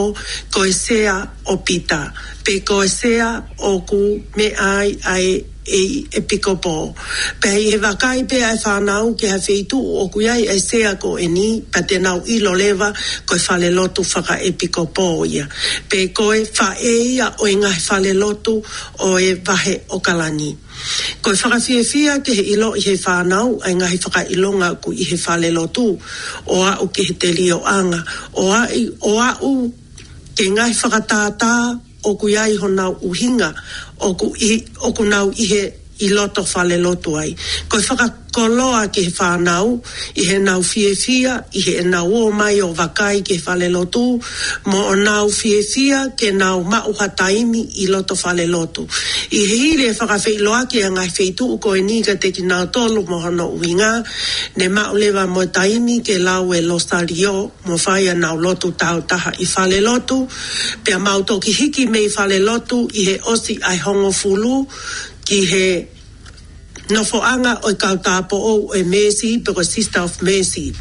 ko e sea ʻo Pita, pe ko e sea ʻoku meʻa ai ʻa e ʻEpikopō. Pea ʻi he vakai pē ʻa e fānau ki ha feituʻu ʻoku ʻi ai ʻa e sea ko eni, pea te nau ʻilo leva ko e falelotu fakaʻepikopō ia, pe ko e faʻē ia ʻo e ngaahi falelotu ʻo e vahe ʻAokalani. Ko e fakafiefia ki he ʻiloʻi ʻe he fānau ʻa e ngaahi fakaʻilonga ʻoku ʻi he falelotu, ʻo aʻu ki he telioʻanga, ʻo aʻi, ʻo aʻu ki he ngaahi fakatātā ʻoku ʻi ai honau ʻuhinga ʻoku ʻi, ʻoku nau ʻi he, ʻi loto falelotu ai. Ko e fakakoloa ki he fānau ʻi heʻenau fiefia, ʻi heʻenau ō mai ʻo vakai ki he falelotu, mo ʻenau fiefia ke nau maʻu ha taimi ʻi loto falelotu. ʻI he hili e fakafeʻiloaki ʻa e ngaahi feituʻu ko eni kiate kinautolu mo hono ʻuhinga, ne maʻu leva mo e taimi ke lau e Losalio, mo fai ʻenau lotu tāutaha ʻi falelotu, pea mau toki hiki mei falelotu ʻi he ʻosi ʻa e hongofulu ki he nofoʻanga ʻo e kau tāupoʻou ʻo e Mercy, pe ko e Sister of Mercy.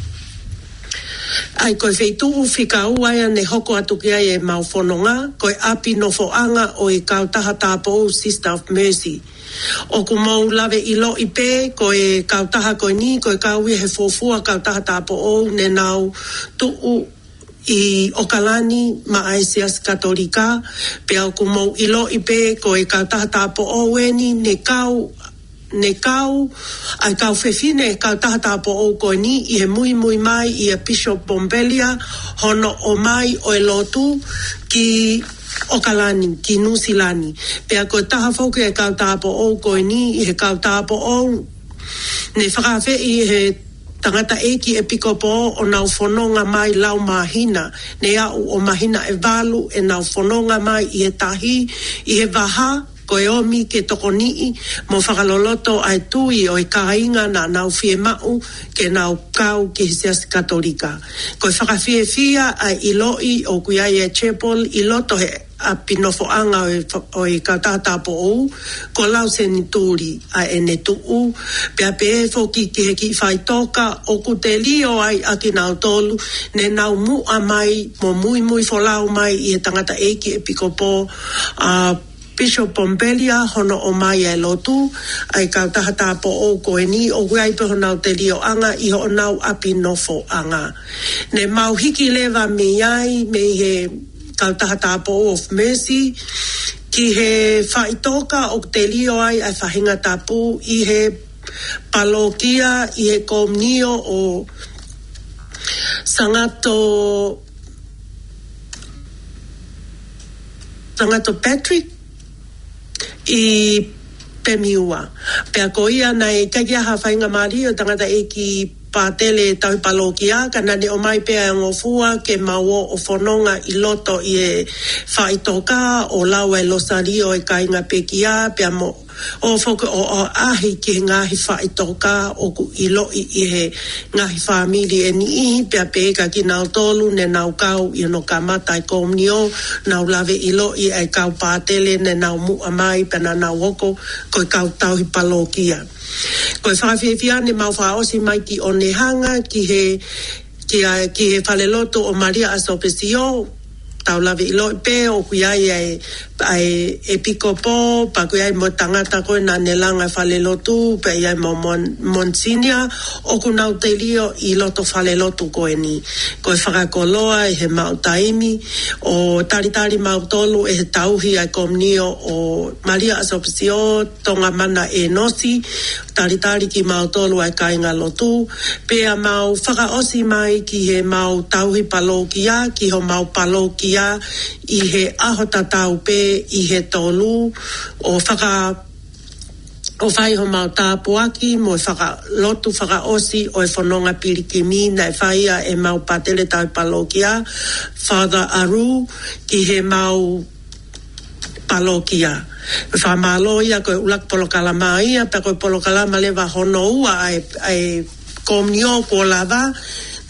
ʻA ia ko e feituʻu fika ua ia ne hoko atu ki ai ʻemau fononga, ko e ʻapi nofoʻanga ʻo e kautaha tāupoʻou Sister of Mercy. ʻOku mou lave ʻiloʻi pē, ko e kautaha ko eni, ko e kau ia he fuofua kautaha tāupoʻou ne nau tuʻu ʻi ʻOkalani maʻa e Siasi Katolika, pea ʻoku mou ʻiloʻi pē, ko e kautaha tāupoʻou eni, ne kau, ne kau, ʻa e kau fefine kautaha tāupoʻou ko eni ʻi he muimui mai ʻia Bishop Bombelia, hono ʻomai ʻo e lotu ki ʻOkalani, ki Nuʻusila ni. Pea ko e taha foki e kau tāupoʻou ko eni ʻi he kau tāupoʻou ne fakaafeʻi he tangataʻeiki ʻepikopō ʻo nau fononga mai lau māhina, ne aʻu ʻo māhina ʻe valu ʻenau fononga mai ʻi he tahi, ʻi he vaha, ko e ʻomi ke tokoniʻi mo fakaloloto ʻa e tui ʻo e kāinga naʻa nau fiemaʻu ke nau kau ki he Siasi Katolika. Ko e fakafiefia ʻa e ʻiloʻi ʻoku ʻi ai e chapel ʻi loto he ʻapi nofoʻanga ʻo e fa-, ʻo e kautaha tāupoʻou, ko Lau Senituli ʻa ʻene tuʻu, pea pehē foki ki he kiʻi faʻitoka ʻoku telio ai ʻa kinautolu ne nau muʻa mai mo muimui folau mai ʻi he tangataʻeiki ʻepikopō, ʻa Bishop Bombelia, hono ʻomai ʻa e lotu, ʻa e kautaha tāupoʻou ko eni, ʻoku ʻi ai pē honau telioʻanga ʻi honau ʻapi nofoʻanga. Ne mau hiki leva mei ai, mei he kautaha tāupoʻou of Mercy, ki he faʻitoka ʻoku telio ai ʻa e faʻahinga tapu ʻi he palokia, ʻi he komunio ʻo Sangato, Sangato Patrick ʻi Pemiua. Pea ko ia naʻe ʻikai ke ʻi ai ha faingamālie ʻo e tangataʻeiki pātele tauhi palokia, ka naʻa ne ʻomai pē ʻa e ngofua ke mau ō ʻo fononga ʻi loto ʻi he faʻitoka ʻo lau ʻa e losalio ʻa e kāinga pekia, pea mo ʻo foki ʻo, ʻo ʻaʻahi ki he ngaahi faʻitoka ʻoku ʻiloʻi ʻi he ngaahi fāmili ʻe niʻihi, pea pehē kia kinautolu ne nau kau ʻi hono kamata ʻa e komunio, nau lave ʻiloʻi ʻa e kau pātele ne nau muʻa mai pea naʻa nau hoko ko e kau tauhi palokia. Ko e fakafiefia ne mau fakaʻosi mai ki Onehunga ki he, ki a, ki he falelotu ʻo Malia ʻAsopesio, tau lave ʻiloʻi pē ʻoku ʻi ai ʻa e, ʻa e ʻepikopō, pea ʻoku ʻi ai mo e tangata ko ē naʻa ne langa e falelotu, pea ʻi ai mo Mon-, Monsinia, ʻoku nau telio ʻi loto falelotu ko eni. Ko e fakakoloa ʻi he maʻu taimi, ʻo talitali mautolu ʻe he tauhi ʻa e komunio ʻo Malia ʻAsopesio, Tongamana ʻEnosi, talitali kimautolu ʻa e kāingalotu, pea mau fakaʻosi mai ki he mau tauhi palokia, ki homau palokia ʻi he ʻaho tatau pē ʻi he tolu, ʻo faka-, ʻo fai homau tāpuaki mo e fakalotu fakaʻosi ʻo e fononga pilikimi naʻe fai ʻe heʻemau pātele tauhi palokia, Father Aru, ki heʻemau palokia. Fakamālō ia ko e ʻuluaki polokalama ia, pea ko e polokalama leva hono ua ʻa e, ʻa e komunio kuo lava,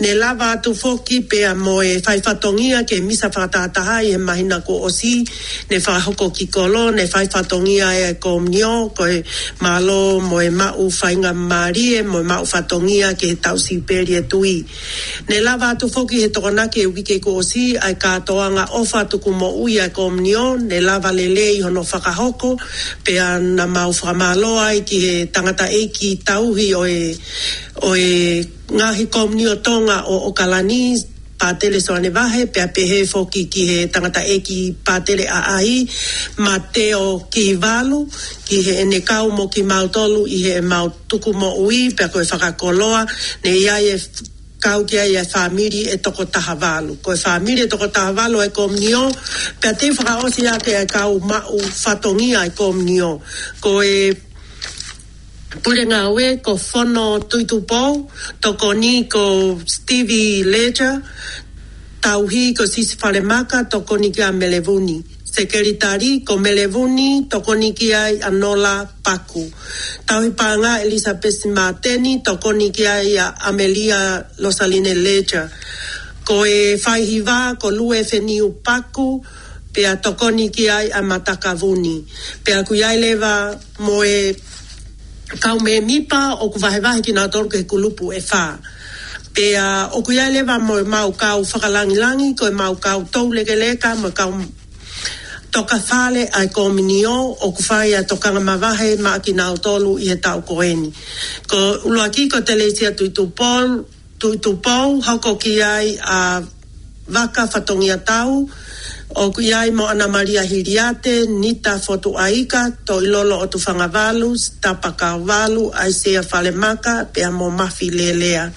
ne lava atu foki pea mo e fai fatongia ki he misa fakatahataha ʻi he māhina kuo ʻosi, ne fakahoko ki Kolo, ne fai fatongia ʻa e komunio, ko e mālō mo e maʻu faingamālie, mo e maʻu fatongia ki he tau sipeli e tui. Ne lava atu foki he Tokonaki e uike kuo ʻosi ʻa e kātoanga ʻofa tuku moʻui ʻa e komunio, ne lava lelei hono fakahoko, pea naʻa mau fakamālō ai ki he tangataʻeiki tauhi ʻo e, ʻo e ngaahi komunio Tonga ʻo ʻOkalani, Pātele Soane Vahe, pea pehē foki ki he tangataʻeiki pātele ʻaʻahi, Mateo Kivalu, ki heʻene kau mo kimautolu ʻi heʻemau tuku moʻui, pea ko e fakakoloa, ne ʻi ai e kau ki ai e fāmili ʻe toko taha valu. Ko e fāmili ʻe toko taha valu ʻa e komunio, pea te u fakaʻosi ake ʻa e kau maʻu fatongia ʻa e komunio. Ko e pule ngāue ko Fono Tuitupou, tokoni ko Stevie Ledger, tauhi ko Sisi Falemaka, tokoni kia Melevuni. Sekelitali ko Melevuni, tokoni ki ai ʻa Nola Paku. Tauhi paʻanga Elizabeth Mateni, tokoni ki ai ʻa Amelia Losaline Ledger. Ko e faihiva ko Lue Feniu Paku, pea tokoni ki ai ʻa Mataka Vuni. Pea ʻoku ʻi ai leva mo e kau mēmipa ʻoku vahevahe kinautolu ki he kulupu ʻe fā. Pea ʻoku ʻi ai leva mo ʻemau kau fakalangilangi, ko ʻemau kau toulekeleka, mo e kau tokafale ʻa e kominio, ʻoku fai ʻa e tokanga mavahe maʻa kinautolu ʻi he taʻu ko eni. Ko e ʻuluaki ko Telesia Tuʻitupou, Tuʻitupou, hoko ki ai ʻa Vaka Fatongia Tau, ʻoku ʻi ai mo ʻAna Malia Hiliate, Nita Fotuʻaika, Toʻilolo ʻOtufangavalu, Sitapa Kauvalu, ʻAisea Falemaka, pea mo Mafi Lelea.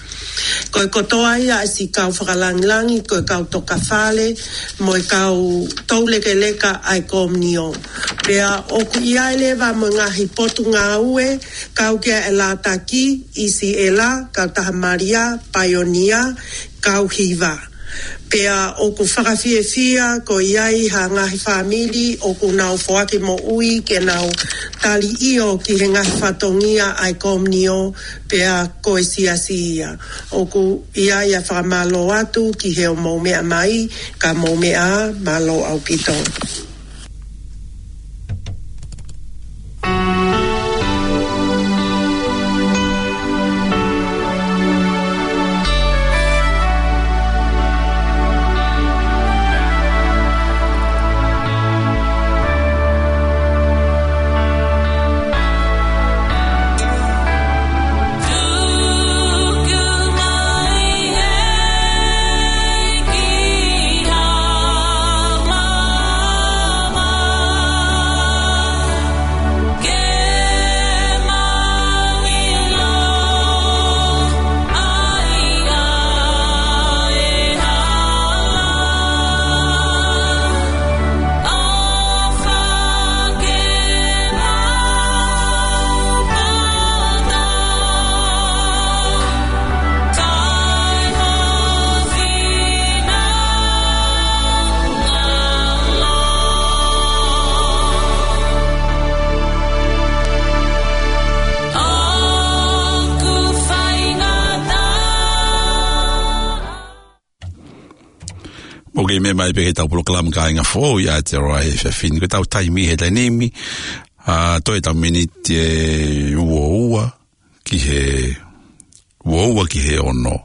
Ko e kotoa ia ʻa e siʻi kau fakalangilangi, ko e kau tokafale, mo e kau toulekeleka ʻa e kominio. Pea ʻoku ʻi ai leva mo e ngaahi potungāue, kau ki ai ʻa e Lātaki, ʻIsiʻela, Kautaha Malia, Paionia, kau hiva. Pea ʻoku fakafiefia ko ia ʻi ha ngaahi fāmili ʻoku nau foaki moʻui ke nau tali ʻio ki he ngaahi fatongia ʻa e kominio pea ko e siasi ia. ʻOku ʻi ai ʻa e fakamālō atu ki he ʻo mou meʻa mai, ka mou meʻa ā, mālō ʻaupito. Mou kei meʻa mai pē ki heʻetau polokalama Kāinga Foʻou ʻi Aotearoa he efiafi ni. Ko ʻetau taimi he taimi ni, ʻa, toe ʻetau miniti ʻe ua ua ki he, ua ua ki he ono.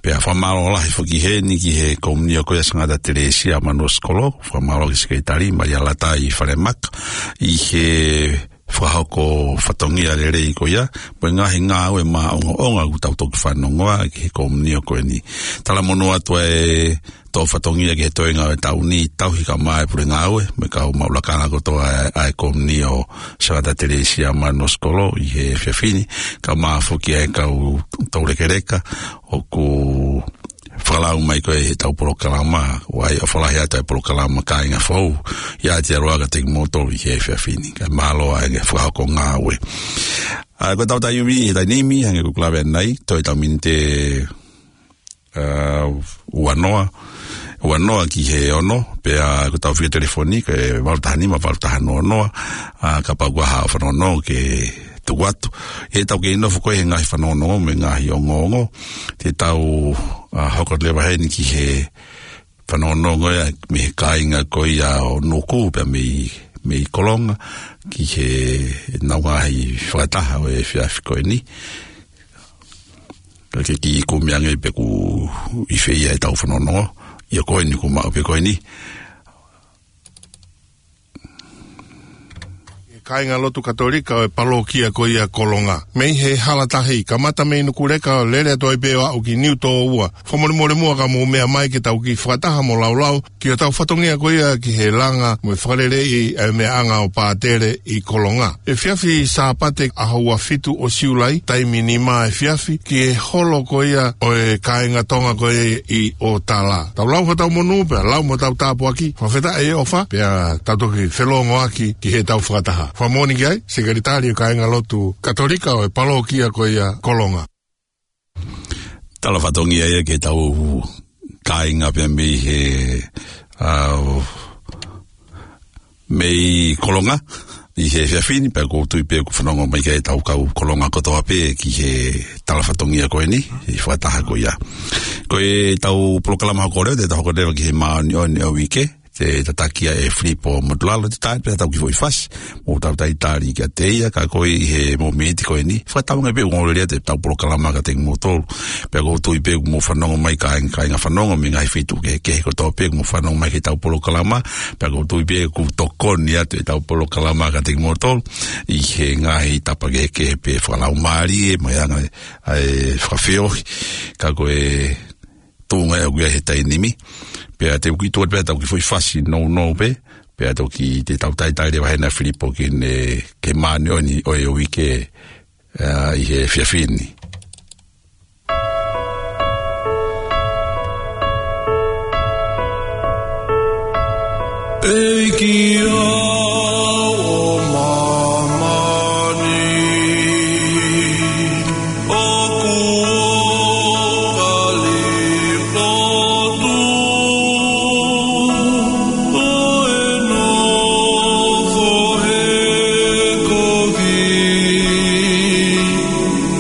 Pea fakamālō lahi foki heni ki he kominio ko ia Sangata Telesia Manuosikolo, fakamālō ki he sekelitali, Malia Latai Falemaka, ʻi he fakahoko fatongia lelei ko ia, mo e ngaahi ngāue maʻongoʻonga ʻoku tau toki fanongoa ki he kominio ko eni. Talamonū atu ʻa e toʻu fatongia ki he toenga ʻo e taʻu ni, tauhi kae ʻumaʻā e pule ngāue, mo e kau maʻu lakanga kotoa ʻa e, ʻa e kominio Sangata Telesia Manuosikolo ʻi he efiafi ni, kae ʻumaʻā foki ʻa e kau toulekeleka, ʻoku fakalau mai ko ē heʻetau polokalama, ʻa ia ʻoku fakalahi atu ʻa e polokalama Kāinga Foʻou ʻi Aotearoa kiate kimoutolu ʻi he efiafi ni. Kae mālō ʻa e fakahoko ngāue. ʻA, ko ʻetau taimi he taimi ni, hangē ko ʻeku lave ʻanenai, toe ʻetau miniti ʻe, ʻa, ua noa, ua noa ki he ono, pea ko ʻetau fika telefoni, ko e valu taha nima, valu taha noa noa, ʻa, kapau ʻoku ʻi ai haʻo fanongonongo ke tuku atu. ʻE tau kei nofo ko ē he ngaahi fanongonongo mo e ngaahi ongoongo. Te tau, ʻa, hoko leva heni ki he fanongonongo ia mei he kāinga ko ia ʻo Nuku pea mei, mei Kolonga ki heʻenau ngaahi fakataha ʻo e efiafi ko eni. Ka ke kiʻi kumi ange pe ʻoku ʻi fē ia ʻetau fanongonongo. ʻIo ko eni kuo maʻu pē ko eni. Kāinga lotu Katolika ʻo e palokia ko ia Kolonga. Mei he hala tahi, kamata mei Nukuleka ʻo lele atu ai pē ʻo aʻu ki Niutōua. Fakamolemole muʻa ka mou meʻa mai ke tau kiʻi fakataha mo laulau ki hotau fatongia ko ia ki he langa mo e fakaleleiʻi ʻa e meʻaʻanga ʻo pātele ʻi Kolonga. Efiafi Sāpate ʻaho ua fitu ʻo Siulai, taimi nima efiafi, ki he holo ko ia ʻo e kāinga Tonga ko ia ʻi ʻŌtala. Tau lau hotau monū pea lau mo hotau tāpuaki, fakafetaʻi e ʻofa, pea tau toki felōngoaki ki heʻetau fakataha. Fakamoʻoni ki ai, Sekelitali ʻo e Kāinga Lotu Katolika ʻo e palokia ko ia Kolonga. Tala fatongia ia ki heʻetau kāinga pea mei he, ʻa, mei Kolonga ʻi he efiafi ni, pea ʻoku ou tui pē ʻoku fanongo mai ki ai ʻetau kau Kolonga kotoa pē ki he tala fatongia ko eni, ʻi he fakataha ko ia. Ko ʻetau polokalama hoko leva, te tau hoko leva ki he māʻoniʻoni ʻo e uike, te tataki ʻe Filipo Motulalo, te tai pē ʻetau kiʻi foʻi fasi, mou tau talitali kiate ia, ka ko e ʻi he mōmeniti ko eni, fakatauange pē ʻoku ongoongolelei atu ʻetau polokalama kiate kimoutolu, pea ʻoku ou tui pē ʻoku mou fanongo mai kāinga, kāinga fanongo mei he ngaahi feituʻu kehekehe kotoa pē ʻoku mou fanongo mai ki heʻetau polokalama, pea ʻoku ou tui pē ʻoku tokoni atu ʻetau polokalama kiate kimoutolu, ʻi he ngaahi tapa kehekehe pē fakalaumālie, mo e anga ʻa e fakafeohi, ka ko e tuʻunga ia ʻoku ʻi ai he taimi ni. Pea te u kiʻi tuku atu pē ʻetau kiʻi foʻi fasi nounou pē, pea toki te tau talitali leva heni ʻa Filipo ki he, ki he māʻoniʻoni ʻo e uike, ā, ʻi he efiafi ni. ʻEiki au ʻo māmani, ʻoku ou kole lotu, ʻo e nofo he kovi,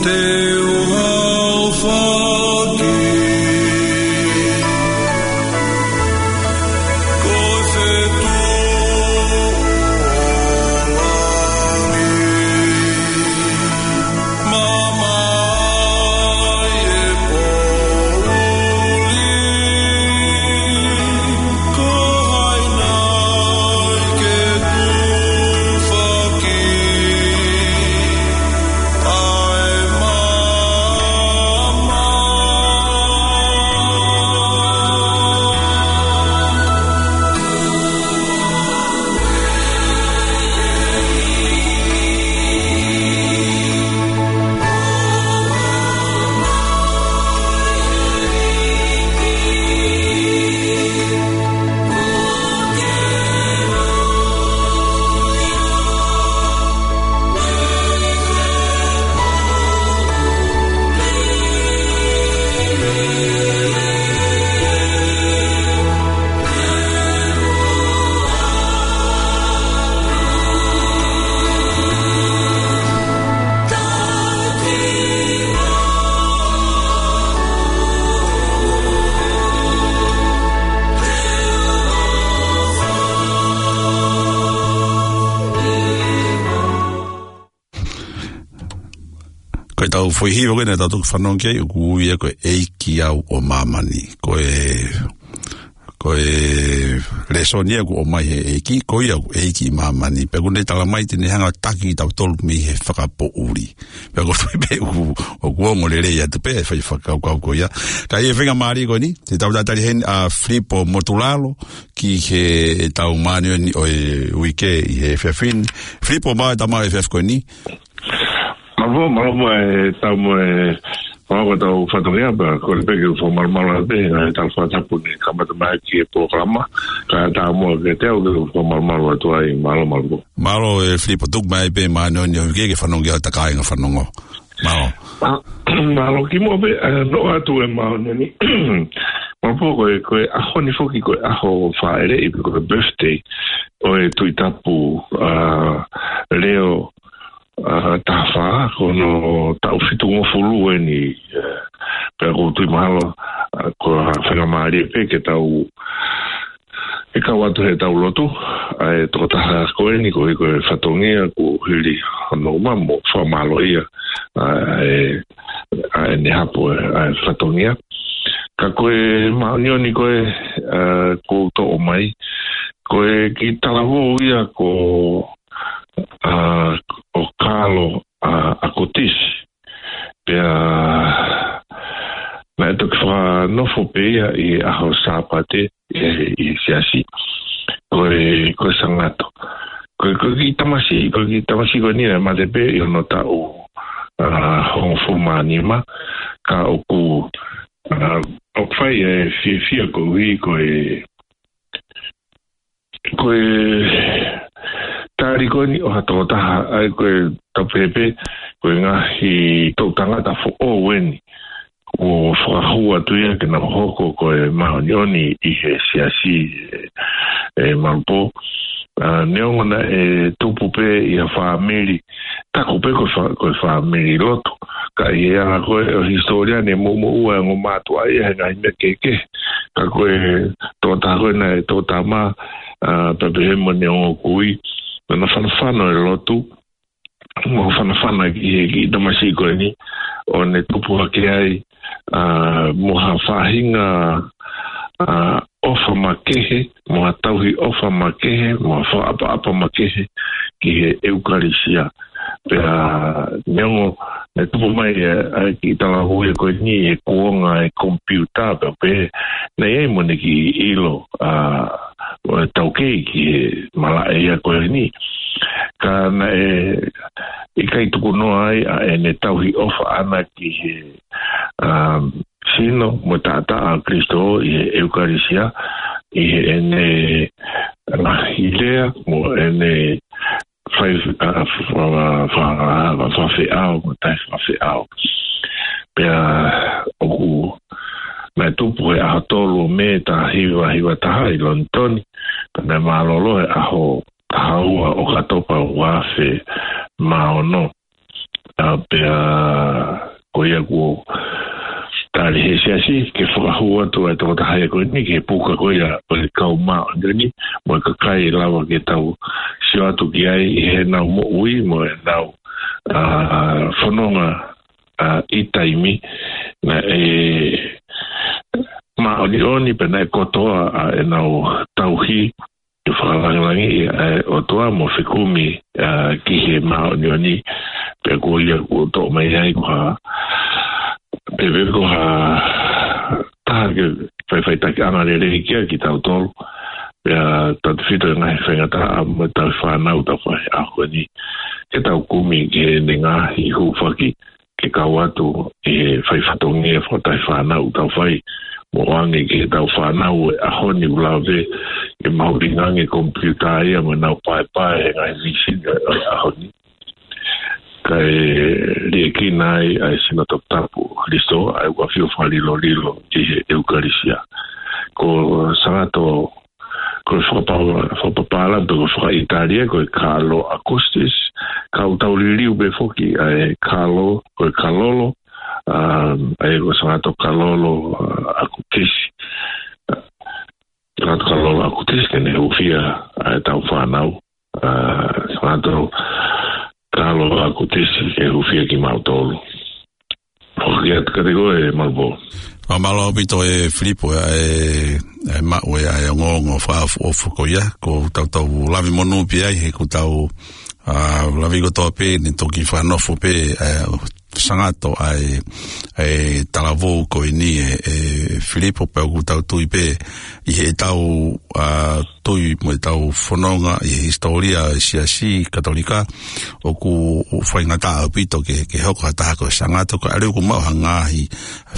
te u haofaki. Ko ʻetau foʻi hiva ko ē naʻa tau toki fanongo ki ai, ʻoku ui ia ko e ʻEiki au ʻo māmani. Ko e, ko e lēsoni ia ʻoku ʻomai he ʻEiki, ko ia ʻoku ʻEiki ʻi māmani. Pea ʻoku ne talamai te ne hanga ʻo taki kitautolu mei he fakapoʻuli. Pea ʻoku ou tui pē ʻoku, ʻoku ongoongolelei atu pē ʻa e foʻi fakakaukau ko ia. Ka ʻi he faingamālie ko eni, te tau talitali heni ʻa Filipo Motulalo, ki heʻetau māʻoniʻoni ʻo e uike ʻi he efiafi ni. Filipo, mālō e tau mo e efiafi ko eni. Mālō, mālō mo e tau mo e, mālō ko ʻetau fatongia pea, kole pē ke u fakamalumalu atu pē, ʻa e tau fakatapu ni kamata mai ki he polokalama, ka tau mo ke te au ke u fakamalumalu atu ai, mālō, mālō. Mālō ē Filipo, tuku mai pē māʻoniʻoni ʻo e uike ke fanongo ki ai ʻa e kāinga fanongo. Mālō. Mā-, mālō kimuʻa pē, ē, noa atu e māʻoniʻoni. Mālō pō ko e, ko e ʻaho ni foki ko e ʻaho fāʻeleʻi pe ko e birthday ʻo e Tuʻi Tapu, ā, Leo, ā, taha fā, ko hono taʻu fitungofulu eni, ē, pea ʻoku ou tui mahalo, ā, ko e faingamālie pē ke tau ʻe kau atu heʻetau lotu, ʻa e tokotaha ko eni ko e, ko e fatongia kuo hili hono uma mo fakamālōʻia, ā, ʻa e, ʻa ʻene hapo, ʻa e fatongia. Ka ko e māʻoniʻoni ko ē, ā, kuo u toʻo mai, ko e kiʻi talavou ia ko, ā, ʻo Kalo, ā, ʻAkotisi. Pea naʻe toki fakanofo pē ia ʻi he ʻaho Sāpate, ē, ʻi he siasi. Ko e, ko e Sangato. Ko e, ko e kiʻi tamasiʻi, ko e kiʻi tamasiʻi ko eni naʻe mate pē ʻi hono taʻu, ā, hongofulu mā nima. Ka ʻoku, ā, ʻoku fai e fiefia koeʻuhi ko e ko e tali ko eni ʻo ha tokotaha, ʻa ia ko e tau pehē pē, ko e ngaahi toʻu tangata foʻou eni kuo fakahū atu ia ke nau hoko ko e māʻoniʻoni ʻi he siasi, ē, ē Mālō pō. Ā, neongo naʻe tupu pē ʻi ha fāmili, taku pē ko e fā-, ko e fāmili lotu. Ka ʻi he anga ko ē ʻo e hisitōlia naʻe moʻumoʻua e ongo mātuʻa ia he ngaahi meʻa kehekehe. Ka ko e tokotaha ko ē naʻe toʻo tama, ā, pea pehē mo ʻene ongo kui, naʻa na fanafana ʻi he lotu, mo fanafana ki he kiʻi tamasiʻi ko eni, ʻo ne tupu hake ai, ā, mo ha faʻahinga, ā, ʻofa makehe, mo ha tauhi ʻofa makehe, mo ha fakaʻapaʻapa makehe ki he ʻEukalisia. Pea neongo naʻe tupu mai ʻa e, ʻa e kiʻi talavou ia ko eni he kuonga ʻo e komipiuta, pea pehē naʻe ʻi ai mo ʻene kiʻi ʻilo, ā, ʻo e taukei ki he malaʻe ia ko eni. Ka naʻe ʻikai tukunoa ai ʻa ʻene tauhi ʻofa ʻana ki he, ā, sino mo e taʻataʻa ʻo Kalaisi ʻi he ʻEukalisia, ʻi heʻene ngaahi lea mo ʻene fai, ā, fa-, fa-, fa-, fakafeʻao mo e taʻefakafeʻao. Pea ʻoku, naʻe tupu he ʻaho tolu ʻo Mē taha hiva hiva taha ʻi Lonitoni, pea naʻe mālōlō he ʻaho taha ua ʻo ʻOkatopa ua afe mā ono. Ā, pea ko ia kuo tali he siasi ke fakahū atu ʻa e tokotaha ia ko eni ki he puka ko ia ʻo e kau māʻoniʻoni, mo e kakai ʻe lava ke tau sio atu ki ai ʻi heʻenau moʻui mo ʻenau, ā, fononga, ā, ʻi taimi naʻe māʻoniʻoni pea naʻe kotoa ʻa ʻenau tauhi ke fakalāngilangiʻi ʻa e ʻOtua mo fekumi, ā, ki he māʻoniʻoni. Pea ko ia kuo toʻo mai ai ko ha, pea pehē ko ha taha ke fai faʻiteliha lelei kia kitautolu. Pea tautefito e ngaahi faingataʻa mo e tauhi fānau ʻoku tau fai he ʻaho ni, ke tau kumi ki heʻene ngaahi hūfaki ke kau atu ʻi he fai fatongia fakatahi fānau ʻoku tau fai, mo ʻoange ki heʻetau fānau ʻo e ʻaho ni ʻoku lave ke mahuʻinga ange komipiuta ia mo ʻenau paepae he ngaahi vīsini ʻo e ʻaho ni. Kae liʻekina ai ʻa e sino toputapu ʻo Kalaisi, ʻa ia ʻoku ʻafio fakalilolilo ʻi he ʻEukalisia. Ko Sangato, ko e fakapa-, fakapapālangi pe ko e fakaʻItālia ko e Carlo Acutis, ka ʻoku tau liliu pē foki ʻa e Carlo, ko e Kalolo, ā, ʻa ia ko Sangato Kalolo, ā, Akutisi. Sangato Kalolo Akutisi ke ne hūfia ʻa ʻetau fānau, ā, Sangato Kalolo Akutisi ke hūfia kimautolu. Foki atu kiate koe, Malvo. Mālō ʻaupito ē Filipo, ʻa e, ʻa e maʻu ē ʻa e ongoongo fakaʻofoʻofa ko ia, ko ʻetau tau lave monū pē ai, he ko ʻetau, ā, lave kotoa pē, ne toki fakanofo pē, ā, Sangato ʻa e, ʻa e talavou ko eni ē, ē Filipo, pea ʻoku tau tui pē ʻi heʻetau, ā, tui mo ʻetau fononga ʻi he hisitōlia ʻo e Siasi Katolika, ʻoku faingataʻa ʻaupito ke, ke hoko ha taha ko Sangato, kae ʻoua kuo maʻu ha ngaahi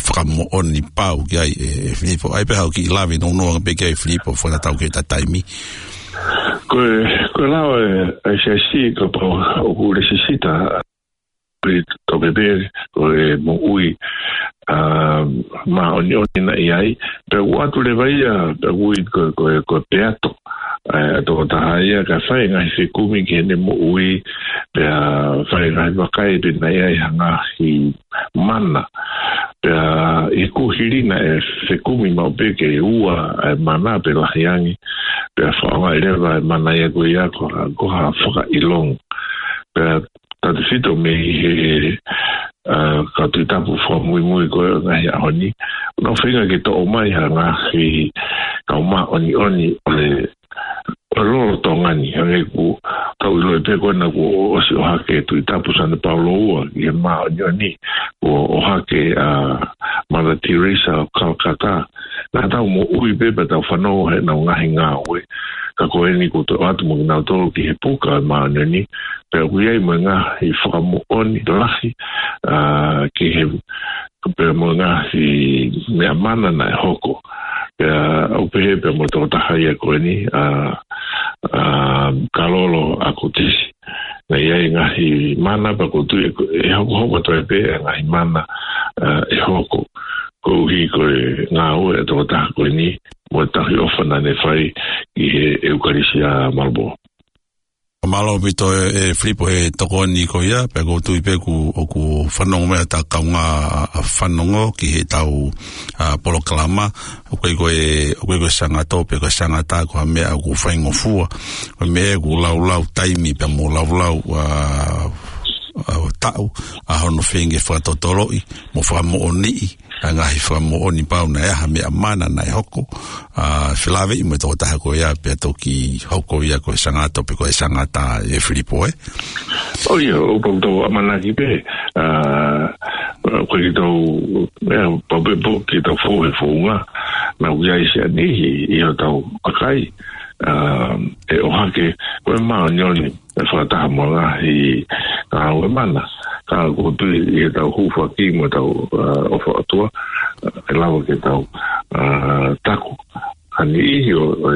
fakamoʻoni pau ki ai ē, ē Filipo. ʻA ia pē haʻo kiʻi lave nounou ange pē ki ai Filipo, fakatatau ki heʻeta taimi. Ko e, ko e lao ē, ʻa e Siasi kapau ʻoku lesisita, pe toke pē ko e moʻui, ā, māʻoniʻoni naʻe ʻi ai, pea ʻoatu leva ia, pea ui ko, ko, ko e peato, ā, tokotaha ia kae fai ngaahi fekumi ki heʻene moʻui, pea fai ngaahi vakai pe naʻe ʻi ai ha ngaahi mana. Pea ʻi he kuohili naʻe fekumi maʻu pē ke ua ʻa e mana pe lahi ange, pea fakaʻaongaʻi leva ʻa e mana ia ko ia ko ha, ko ha fakaʻilonga. Pea tautefito mei he, ā, kau Tuʻi Tapu fakamuimui ko ē ʻo e ngaahi ʻaho ni, ʻoku nau feinga ke toʻo mai ha ngaahi kau māʻoniʻoni ʻo e, ʻo e lolotonga ni, hangē ko ʻetau ʻilo pē ko ena kuo ʻosi ʻohake ʻe he Tuʻi Tapu Sane Paulo ua ki he māʻoniʻoni, kuo ʻohake ʻa Mother Teresa of Calcutta. Naʻa tau moʻui pē pea tau fanongo heʻenau ngaahi ngāue. Ka ko eni kuo toe ʻoatu mo kinautolu ki he puka ʻo e māʻoniʻoni, pea ʻoku ʻi ai mo e ngaahi fakamoʻoni lahi, ā, ki he, pea mo e ngaahi meʻa mana naʻe hoko. Pea ʻoku pehē pea mo e tokotaha ia ko eni, ā, ā, Kalolo Akutisi. Naʻe ʻi ai e ngaahi mana pea ʻoku ou tui ʻe, ʻe hokohoko atu ai pē ʻa e ngaahi mana, ā, ʻe hoko. Koeʻuhi ko e ngāue ʻa e tokotaha ko eni, mo e tauhi ʻofa naʻa ne fai ki he ʻEukalisia, Malvo. Mālō ʻaupito ē, ē Filipo he tokoni ko ia, pea ʻoku ou tui pē ʻoku, ʻoku fanongo mai ʻa e kaungā, ʻa, ʻa fanongo ki heʻetau, ʻa, polokalama, ʻoku ʻikai ko e, ʻoku ʻikai ko e Sangato, pe ko e Sangata, ko ha meʻa ʻoku faingofua, ko e meʻa ʻoku laulau taimi pea mo laulau, ʻa, ʻa, taʻu, ʻa hono feinga fakatotoloʻi, mo fakamoʻoniʻi, ʻa e ngaahi fakamoʻoni pau naʻe ʻi ai ha meʻa mana naʻe hoko, ʻa, felāveʻi mo e tokotaha ko ia pea toki hoko ia ko e Sangato pe ko e Sangata ē Filipo ē. ʻO ia, ʻoku pau ke tau ʻamanaki pē, ʻa, ko kitautolu, ʻe, pau pē pē ke tau fou he founga, naʻa ʻoku ʻi ai siʻa niʻihi ʻi hotau kakai, ʻa, ʻe ʻohake, ko e māʻoniʻoni, ʻe fakataha mo e ngaahi, ʻa, ngāue mana. Ka ʻoku ou tui ʻi heʻetau hūfaki mo ʻetau, ʻa, ʻofa ʻOtua, ʻa, ʻe lava ke tau, ʻa, taku. Ha niʻihi ʻo, ʻo,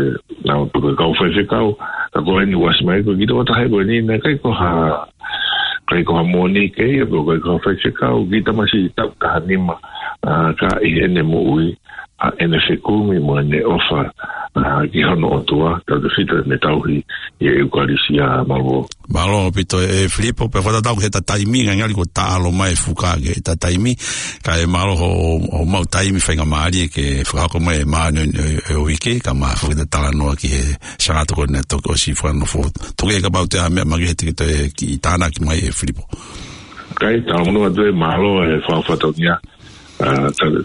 ʻa, pe ko e kau faifekau, ka ko eni ʻoku ʻasi mai ko e kiʻi tokotaha ko eni, naʻe ʻikai ko ha, ʻikai ko ha moʻoni ke ia, pe ko e kau faifekau, kiʻi tamasiʻi taʻu taha nima, ʻa, ka ʻi heʻene moʻui, ʻa ʻene fekumi mo ʻene ʻofa, ʻa, ki hono ʻOtua, tautefito ʻene tauhi ʻi he ʻEukalisia. Mālō. Mālō ʻaupito ē Filipo, pea fakatatau ki heʻeta taimi, ngali ko e taʻalo mai fuka ki heʻeta taimi, kae mālō hoʻo, hoʻo maʻu taimi faingamālie ke fakahoko mai e māʻoniʻoni ʻo e, ʻo e uike, kae ʻumaʻā foki ʻeta talanoa ki he Sangato ko eni naʻe toki ʻosi fakanofo. Toki ʻe kapau ʻoku toe ʻi ai ha meʻa makehe te ke toe kiʻi tānaki mai ē Filipo. Kae talamonū atu ē, mālō e fakafatongia. ʻA, tale.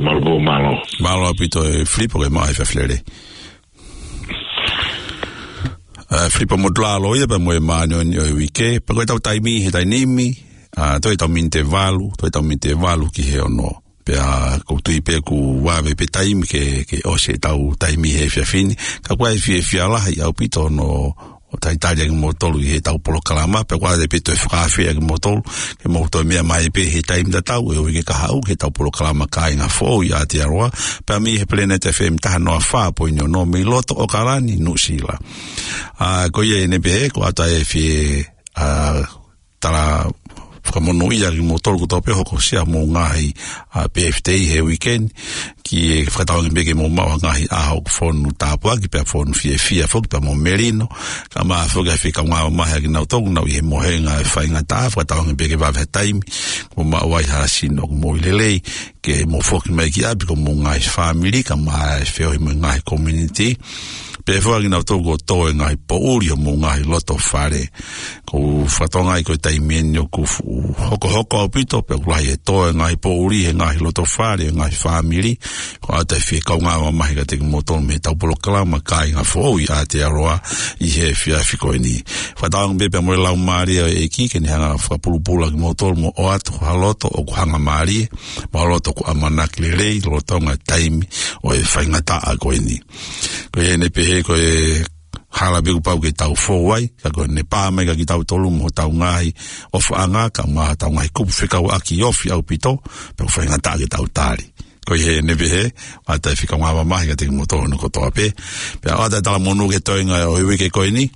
Mālō, mālō. Mālō ʻaupito ē Filipo ke maʻu ha efiafi lelei. ʻA, Filipo Motulalo ia pea mo e māʻoniʻoni ʻo e uike, pea ko ʻetau taimi he taimi ni, ʻa, toe ʻetau miniti ʻe valu, toe ʻetau miniti ʻe valu ki he ono. Pea ʻoku ou tui pē ʻoku vave pē taimi ke, ke ʻosi ʻetau taimi he efiafi ni. Ka ʻoku ʻi ai e fiefia lahi ʻaupito hono ʻo talitali ʻa kimoutolu ʻi heʻetau polokalama, pea ʻoku ʻoatu pē ʻa e toe fakaafe ʻa kimoutolu, ke mou toe meʻa mai pē he taimi tatau ʻo e uike kahaʻu, heʻetau polokalama Kāinga Foʻou ʻi Aotearoa, pea mei he Planet F M taha noa fā poini ono mei loto ʻAokalani, Nuʻusila. ʻA, ko ia eni pē ē, ʻoku ʻoatu ʻa e fie, ʻa, tala fakamonūʻia kimoutolu kotoa pē hokosia homou ngaahi, ʻa, birthday he uike ni, ke fakatauange pē ke mou maʻu ha ngaahi ʻaho ʻoku fonu tāpuaki pea fonu fiefia foki pea mo melino, kae ʻumaʻā foki ʻa e fie kaungā mamahi ʻa kinautolu ʻoku nau ʻi he mohenga ʻo e faingataʻa, fakatauange pē ke vave ha taimi, ke mou maʻu ai ha sino ʻoku moʻui lelei, ke mou foki mai ki ʻapi ko homou ngaahi fāmili, kae ʻumaʻā e feohi mo e ngaahi community, pea foki ʻa kinautolu kuo tō e ngaahi poʻuli homou ngaahi loto fale. ʻOku ou fakatokangaʻi ko e taimi eni ʻoku fuʻu hokohoko ʻaupito, pea ʻoku lahi e tō e ngaahi poʻuli he ngaahi loto fale, ngaahi fāmili. ʻOku ʻoatu ʻa e fie kaungā mamahi kiate kimoutolu mei heʻetau polokalama Kāinga Foʻou ʻi Aotearoa ʻi he efiafi ko eni. Fakatauange pē pea mo e Laumālie ʻo e ʻEiki ke ne hanga ʻo fakapulupulu ʻa kimoutolu mo ʻoatu ha loto ʻoku hangamālie, mo ha loto ʻoku ʻamanaki lelei, lolotonga e taimi ʻo e faingataʻa ko eni. Ko ia eni pē ē, ko e hala pē ʻoku pau ke tau fou ai, ka ko ʻene pā mai kiate kitautolu mo hotau ngaahi ʻofaʻanga, kae ʻumaʻā hotau ngaahi kupu fekauʻaki ofi ʻaupito, pea ʻoku faingataʻa ke tau tali. Ko ia eni pē ē, ʻoatu ʻa e fie kaungā mamahi kiate kimoutolu hono kotoa pē. Pea ʻoatu ʻa e talamonū ki he toenga ʻo e uike ko eni,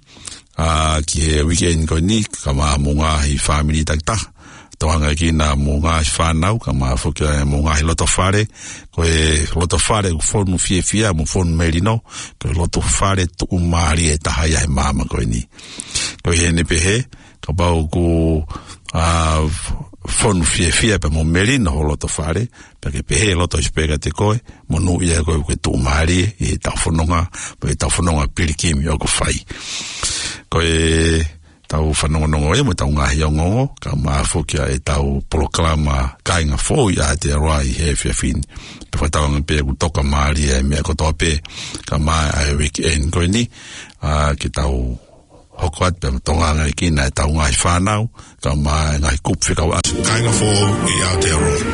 ʻa, ki he uike eni ko eni, kae ʻumaʻā homou ngaahi fāmili takitaha. Tokanga ki homou ngaahi fānau, kae ʻumaʻā foki homou ngaahi loto fale, ko e loto fale ʻoku fonu fiefia mo fonu melino, ko e loto fale tuʻumālie ʻe taha ia he māmani ko eni. Ko ia eni pē ē, kapau ʻoku, ʻa, fonu fiefia pea mo melino ho loto fale, pea ke pehē loto ʻi he pē kiate koe, monūʻia koe ʻoku ke tuʻumālie ʻi heʻetau fononga, mo ʻetau fononga pilikimi ʻoku fai. Ko e tau fanongonongo ē mo ʻetau ngaahi ongoongo, kae ʻumaʻā foki ʻa ʻetau polokalama Kāinga Foʻou ʻi Aotearoa ʻi he efiafi ni. Pea fakatauange pē ʻoku tokamālie e meʻa kotoa pē, kae ʻumaʻā ʻa e uike eni ko eni, ʻa, ke tau hoko atu pea mo tokanga ki heʻetau ngaahi fānau, kae ʻumaʻā e ngaahi kupu fekauʻaki. Kāinga Foʻou ʻi Aotearoa.